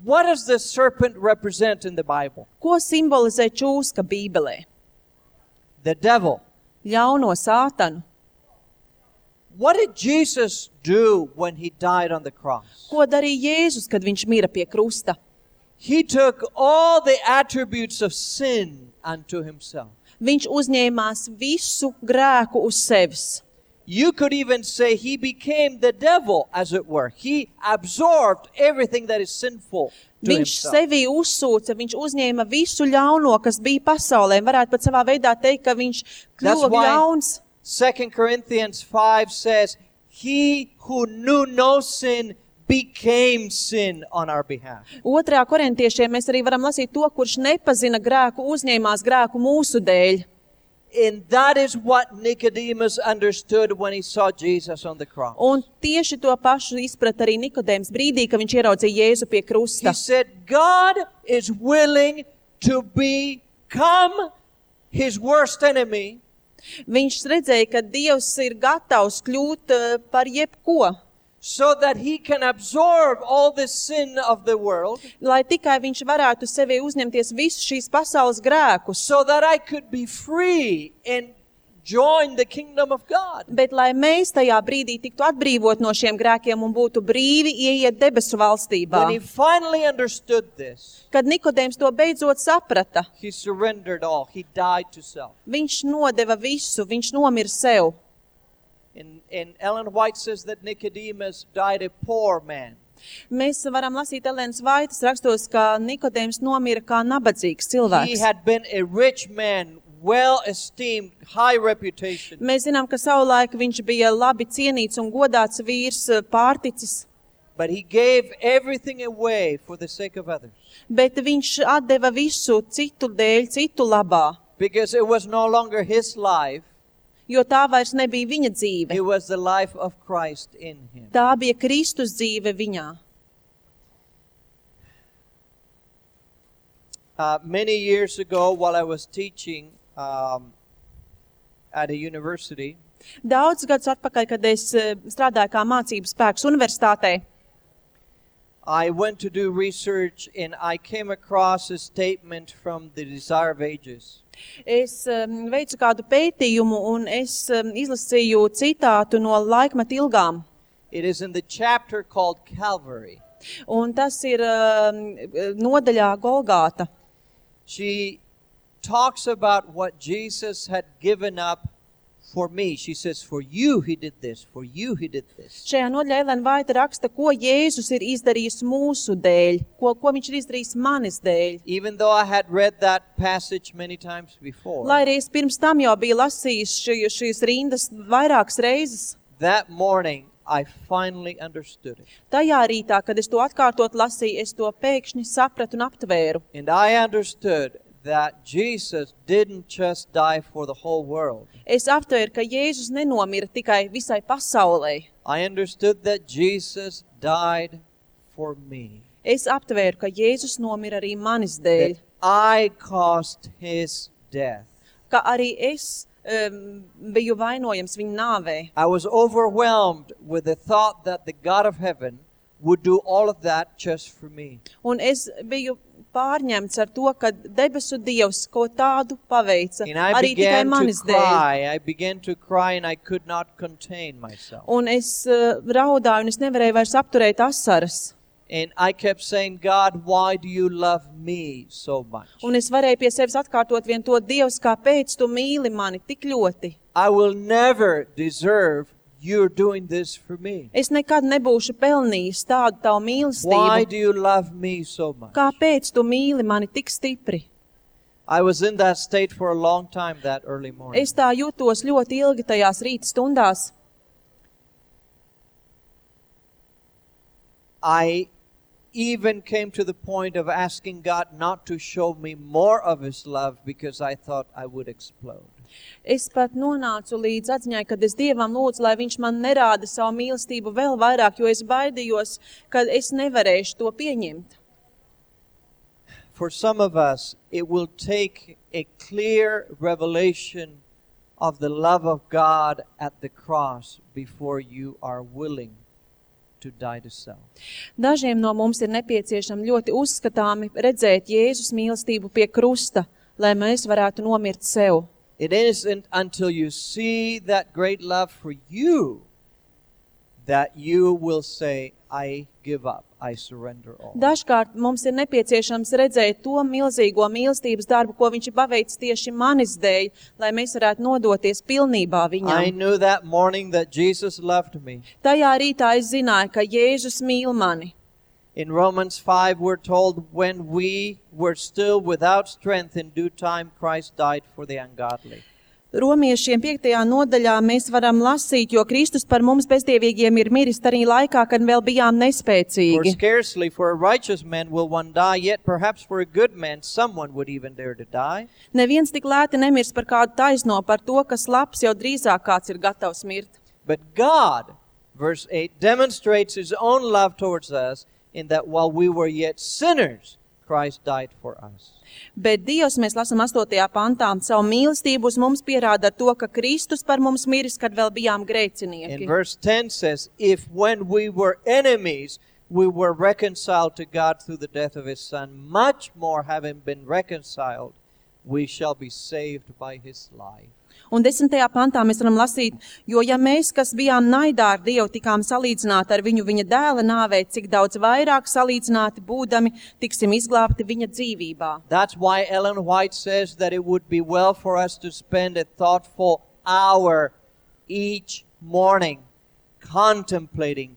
What does the serpent represent in the Bible?
Ko simbolizē čūska Bībelē?
The devil.
Ļauno sātanu.
What did Jesus do when he died on the cross?
Ko darīja Jēzus, kad viņš mira pie krusta?
He took all the attributes of sin unto himself.
Viņš uzņēmās visu grēku uz sevis.
You could even say he became the devil, as it were. He absorbed everything that is sinful to
Viņš
himself.
sevi uzsūca, viņš uzņēma visu ļauno, kas bija pasaulē. Varētu pat savā veidā teikt, ka viņš
That's
kļuva
why
ļauns.
Second Corinthians five says, he who knew no sin became sin on our behalf.
Otrajā korintiešiem mēs arī varam lasīt to, kurš nepazina grēku, uzņēmās grēku mūsu dēļ.
And that is what Nicodemus understood when he saw Jesus on the cross.
Un tieši to pašu izprat arī Nikodēms brīdī, kad viņš ieraudzīja Jēzu pie krusta.
He said, God is willing to become his worst enemy.
Viņš redzēja, ka Dievs ir gatavs kļūt uh, par jebko,
so that he can absorb all the sin of the world,
lai tikai viņš varētu sevi uzņemties visu šīs pasaules grēkus,
so that I could be free and join the kingdom of God.
bet lai mēs tajā brīdī tiktu atbrīvot no šiem grēkiem un būtu brīvi ieiet debesu valstībā.
When he finally understood this,
Kad Nikodēms to beidzot saprata,
he surrendered all. He died to self.
viņš nodeva visu, viņš nomira sev.
And, and Ellen White says that Nicodemus died a poor man.
Mēs varam lasīt Elēnas Vaitas rakstos, ka Nikodēms nomira kā nabadzīgs
He
cilvēks.
had been a rich man, well esteemed, high reputation.
Mēs zinām, ka savulaik viņš bija labi cienīts un godāts vīrs, pārticis,
But he gave everything away for the sake of others.
bet viņš atdeva visu citu dēļ, citu labā,
Because it was no longer his life,
jo tā vairs nebija viņa dzīve.
it was the life of Christ in him.
Tā bija Kristus dzīve viņā.
Uh, many years ago, while I was teaching um, at a university,
Daudz gadus atpakaļ, kad es eh, strādāju kā mācības spēks universitātē,
I went to do research and I came across a statement from the Desire of Ages.
es um, veicu kādu pētījumu un es um, izlasīju citātu no laikmeta ilgām.
It is in the chapter called Calvary.
Un tas ir um, nodaļā Golgāta.
She talks about what Jesus had given up for me. She says, for you he did this, for you he did this.
Šajā nodaļā Elēna Vaita raksta, ko Jēzus ir izdarījis mūsu dēļ, ko, ko viņš ir izdarījis manis dēļ.
Even though I had read that passage many times before,
Lai arī es pirms tam jau biju lasījis ši, šīs rindas vairākas reizes,
that morning I finally understood it.
tajā rītā, kad es to atkārtot lasīju, es to pēkšņi sapratu un aptvēru.
And I understood that Jesus didn't just die for the whole world.
Es aptvēru, ka Jēzus nenomira tikai visai pasaulē.
I understood that Jesus died for me.
Es aptvēru, ka Jēzus nomira arī manis dēļ,
That I caused his death.
ka arī es um, biju vainojams viņa nāvē.
I was overwhelmed with the thought that the God of heaven would do all of that just for me.
Un es biju pārņemts ar to, ka debesu Dievs ko tādu paveica
And I
arī tikai
began to
manis dēļ.
cry. I began to cry and I could not contain myself.
Un es uh, raudāju un es nevarēju vairs apturēt asaras.
And I kept saying, God, why do you love me so much?
Un es varēju pie sevis atkārtot vien to, Dievs, kāpēc tu mīli mani tik ļoti?
I will never deserve you're doing this for me.
Es nekad nebūšu pelnījis tādu tavu
Why
mīlestību.
do you love me so much?
Kāpēc tu mīli mani tik stipri?
I was in that state for a long time that early morning.
Es tā jūtos ļoti ilgi tajās rīta stundās.
I even came to the point of asking God not to show me more of His love because I thought I would explode.
Es pat nonācu līdz atziņai, kad es Dievam lūdzu, lai viņš man nerāda savu mīlestību vēl vairāk, jo es baidījos, ka es nevarēšu to pieņemt.
For some of us, it will take a clear revelation of the love of God at the cross before you are willing to die to self.
Dažiem no mums ir nepieciešami ļoti uzskatāmi redzēt Jēzus mīlestību pie krusta, lai mēs varētu nomirt sev.
It isn't until you see that great love for you that you will say, I give up, I surrender all.
Dažkārt mums ir nepieciešams redzēt to milzīgo mīlestības darbu, ko viņš ir paveicis tieši manis dēļ, lai mēs varētu nodoties pilnībā
I
viņam.
knew that morning that Jesus loved me.
Tajā rītā es zināju, ka Jēzus mīl mani.
In Romans five, we're told, when we were still without strength, in due time, Christ died for the ungodly.
Romiešiem piektajā nodaļā mēs varam lasīt, jo Kristus par mums bezdievīgiem ir miris arī laikā, kad vēl bijām
For
nespēcīgi.
scarcely for a righteous man will one die, yet perhaps for a good man someone would even dare to die.
Neviens tik lēti nemirs par kādu taisno, par to, kas labs jau drīzāk kāds ir gatavs mirt.
But God, verse eight, demonstrates His own love towards us in that while we were yet sinners, Christ died for us.
Bet Dievs, mēs lasām astotajā pantā, savu mīlestību uz mums pierāda ar to, ka Kristus par mums miris, kad vēl bijām
In
grēcinieki.
verse ten says, if when we were enemies, we were reconciled to God through the death of His Son, much more having been reconciled, we shall be saved by His life.
Un desmitajā pantā mēs varam lasīt, jo ja mēs, kas bijām naidā ar Dievu, tikām salīdzināti ar viņu viņa dēla nāvē, cik daudz vairāk salīdzināti būdami, tiksim izglābti viņa dzīvībā.
That's why Ellen White says that it would be well for us to spend a thoughtful hour each morning contemplating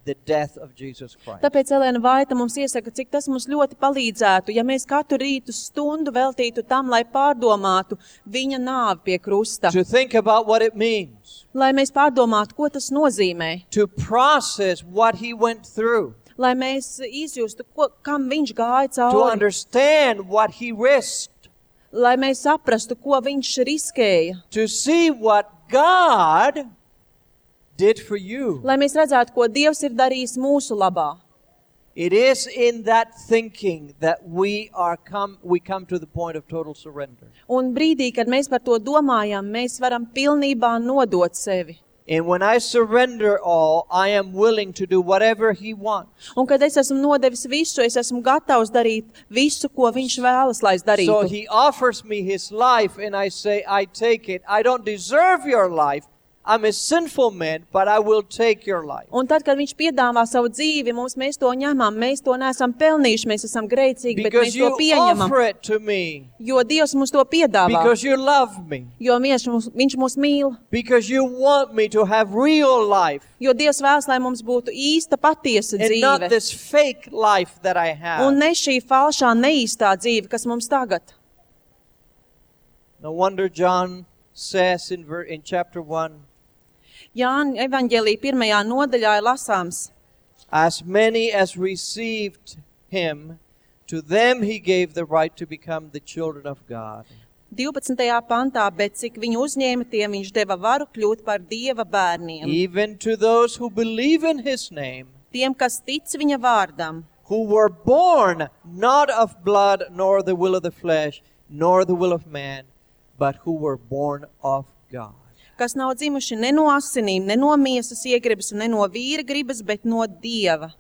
the death of Jesus Christ.
Tāpēc Elēna Vaita mums iesaka, cik tas mums ļoti palīdzētu, ja mēs katru rītu stundu veltītu tam, lai pārdomātu viņa nāvi pie krusta.
To think about what it means,
Lai mēs pārdomātu, ko tas nozīmē.
to process what He went through,
Lai mēs izjustu, ko, kam viņš gāja
to
cauri.
understand what He risked,
Lai mēs saprastu, ko viņš riskēja.
to see what God did for you.
Lai mēs redzētu, ko Dievs ir darījis mūsu labā.
It is in that thinking that we are come we come to the point of total surrender.
Un brīdī, kad mēs par to domājam, mēs varam pilnībā nodot sevi.
And when I surrender all, I am willing to do whatever He wants.
Un kad es esmu nodevis visu, es esmu gatavs darīt visu, ko viņš vēlas, lai es
So
darītu.
He offers me His life and I say, I take it. I don't deserve your life. I'm a sinful man, but I will take your life.
Un tad, kad viņš piedāvā savu dzīvi, mums mēs to ņemam, mēs to neesam pelnījuši, mēs esam grēcīgi, bet
Because
mēs to
you
pieņemam,
offer it to me.
jo Dievs mums to piedāvā,
Because you love me.
jo viņš mūs, viņš mūs mīl,
Because you want me to have real life
jo Dievs vēlas, lai mums būtu īsta, patiesa
and not
dzīve,
this fake life that I have.
un ne šī falšā, neīstā dzīve, kas mums tagad.
No wonder John says in, ver- in chapter one,
Jāņa evaņģēlī pirmajā nodaļā ir lasāms.
as many as received Him, to them He gave the right to become the children of God.
divpadsmitajā pantā, bet cik viņu uzņēma, tiem viņš deva varu kļūt par Dieva bērniem.
Even to those who believe in His name,
Tiem, kas tic viņa vārdam,
who were born not of blood, nor the will of the flesh, nor the will of man, but who were born of God.
kas nav dzimuši ne no asinīm, ne no miesas iegribas, ne no vīra gribas, bet no Dieva.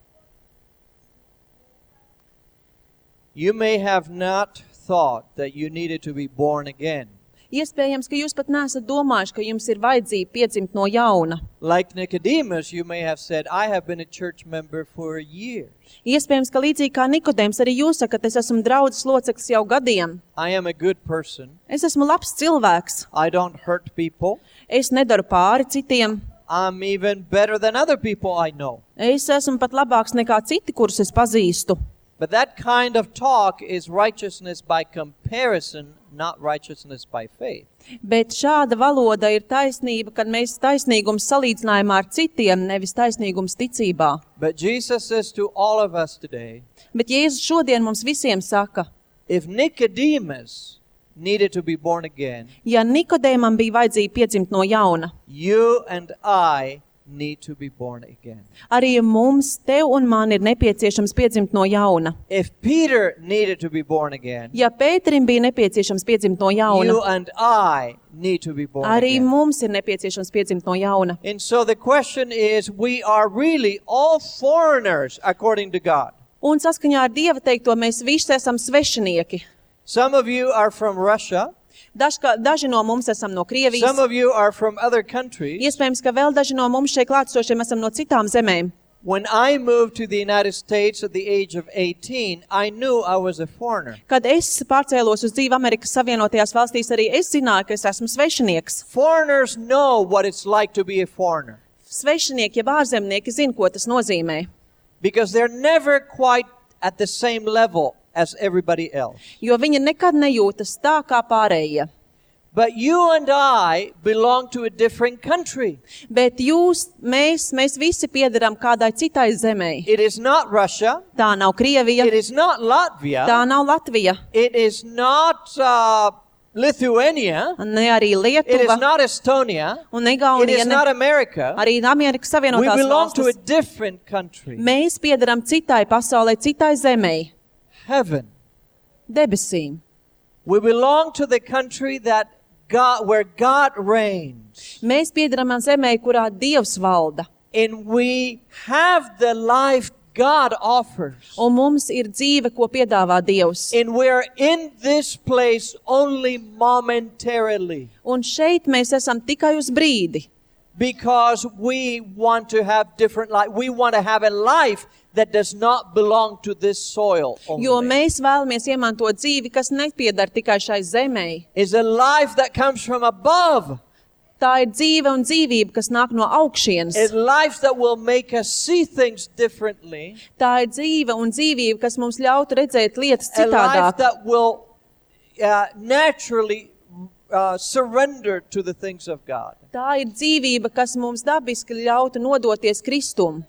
You may have not thought that you needed to be born again.
Iespējams, ka jūs pat neesat domājuši, ka jums ir vajadzība piedzimt no jauna.
Like Nicodemus, you may have said, I have been a church member for years.
Iespējams, ka līdzīgi kā Nikodēms, arī jūs sakat, es esmu draudzes loceklis jau gadiem.
I am a good person.
Es esmu labs cilvēks.
I don't hurt people.
Es nedaru pāri citiem.
I'm even better than other people I know.
Es esmu pat labāks nekā citi, kurus es pazīstu.
But that kind of talk is righteousness by comparison, not righteousness by faith.
Bet šāda valoda ir taisnība, kad mēs taisnīgums salīdzinājumā ar citiem, nevis taisnīgums ticībā.
But Jesus says to all of us today,
Bet Jēzus šodien mums visiem saka,
if Nicodemus needed to be born again,
ja Nikodēmam bija vajadzība piedzimt no jauna,
you and I need to be born again.
arī mums, tev un man ir nepieciešams piedzimt no jauna.
If Peter needed to be born again,
Ja Pēterim bija nepieciešams piedzimt no jauna,
you and I need to be born
arī
again.
mums ir nepieciešams piedzimt no jauna.
And so the question is, we are really all foreigners according to God.
Un saskaņā ar Dieva teikto, mēs visi esam svešinieki.
Some of you are from Russia.
Dažka, daži no mums esam no Krievijas.
Some of you are from other countries.
Iespējams, ka vēl daži no mums šeit klātsošiem esam no citām zemēm.
When I moved to the United States at the age of eighteen, I knew I was a foreigner.
Kad es pārcēlos uz dzīvi Amerikas Savienotajās valstīs, arī es zināju, ka es esmu svešinieks.
Foreigners know what it's like to be a foreigner
Svešinieki, ja ārzemnieki zina, ko tas nozīmē.
because they're never quite at the same level as everybody else.
Jo viņi nekad nejūtas tā kā pārējie.
But you and I belong to a different country.
Bet jūs, mēs, mēs visi piederam kādai citai zemei.
It is not Russia.
Tā nav Krievija,
It is not Latvia.
tā nav Latvija,
It is not uh, Lithuania.
ne arī
It is
Lietuva,
not Estonia.
un ne
It
Igaunija,
is
ne
not America.
arī Amerikas
We
Savienotās
belong to a
valstis.
different country.
Mēs piederam citai pasaulē, citai zemei,
Heaven.
debesīm.
We belong to the country that God, where God reigns.
Mēs piederam zemei, kurā Dievs valda.
And we have the life God offers.
Un mums ir dzīve, ko piedāvā Dievs.
And we're in this place only momentarily
Un šeit mēs esam tikai uz brīdi,
because we want to have different life. We want to have a life that does not belong to this soil only.
jo mēs vēlamies iemantot dzīvi, kas nepiedar tikai šai zemei.
It's a life that comes from above.
Tā ir dzīve un dzīvība, kas nāk no augšienes.
A life that will make us see things differently.
Tā ir dzīve un dzīvība, kas mums ļautu redzēt lietas
A life
citādāk.
that will uh, naturally uh, surrender to the things of God.
Tā ir dzīvība, kas mums dabiski ļautu nodoties Kristum.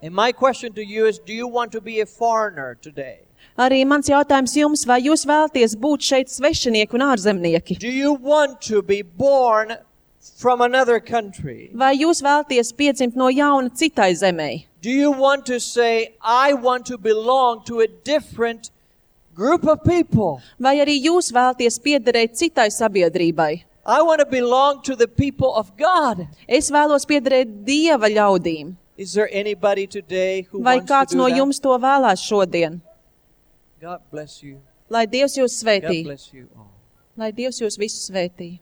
And my question to you is, do you want to be a foreigner today?
Arī mans jautājums jums, vai jūs vēlaties būt šeit svešinieki un ārzemnieki?
Do you want to be born from another country?
Vai jūs vēlaties piedzimt no jauna citai zemei?
Do you want to say, I want to belong to a different group of people?
Vai arī jūs vēlaties piederēt citai sabiedrībai?
I want to belong to the people of God.
Es vēlos piederēt Dieva ļaudīm.
Is there anybody today who
Vai
wants to
kāds
do
no
that?
jums to vēlās šodien?
God bless you.
Lai Dievs jūs
God
svētī.
bless you all.
Lai Dievs jūs visus svētī.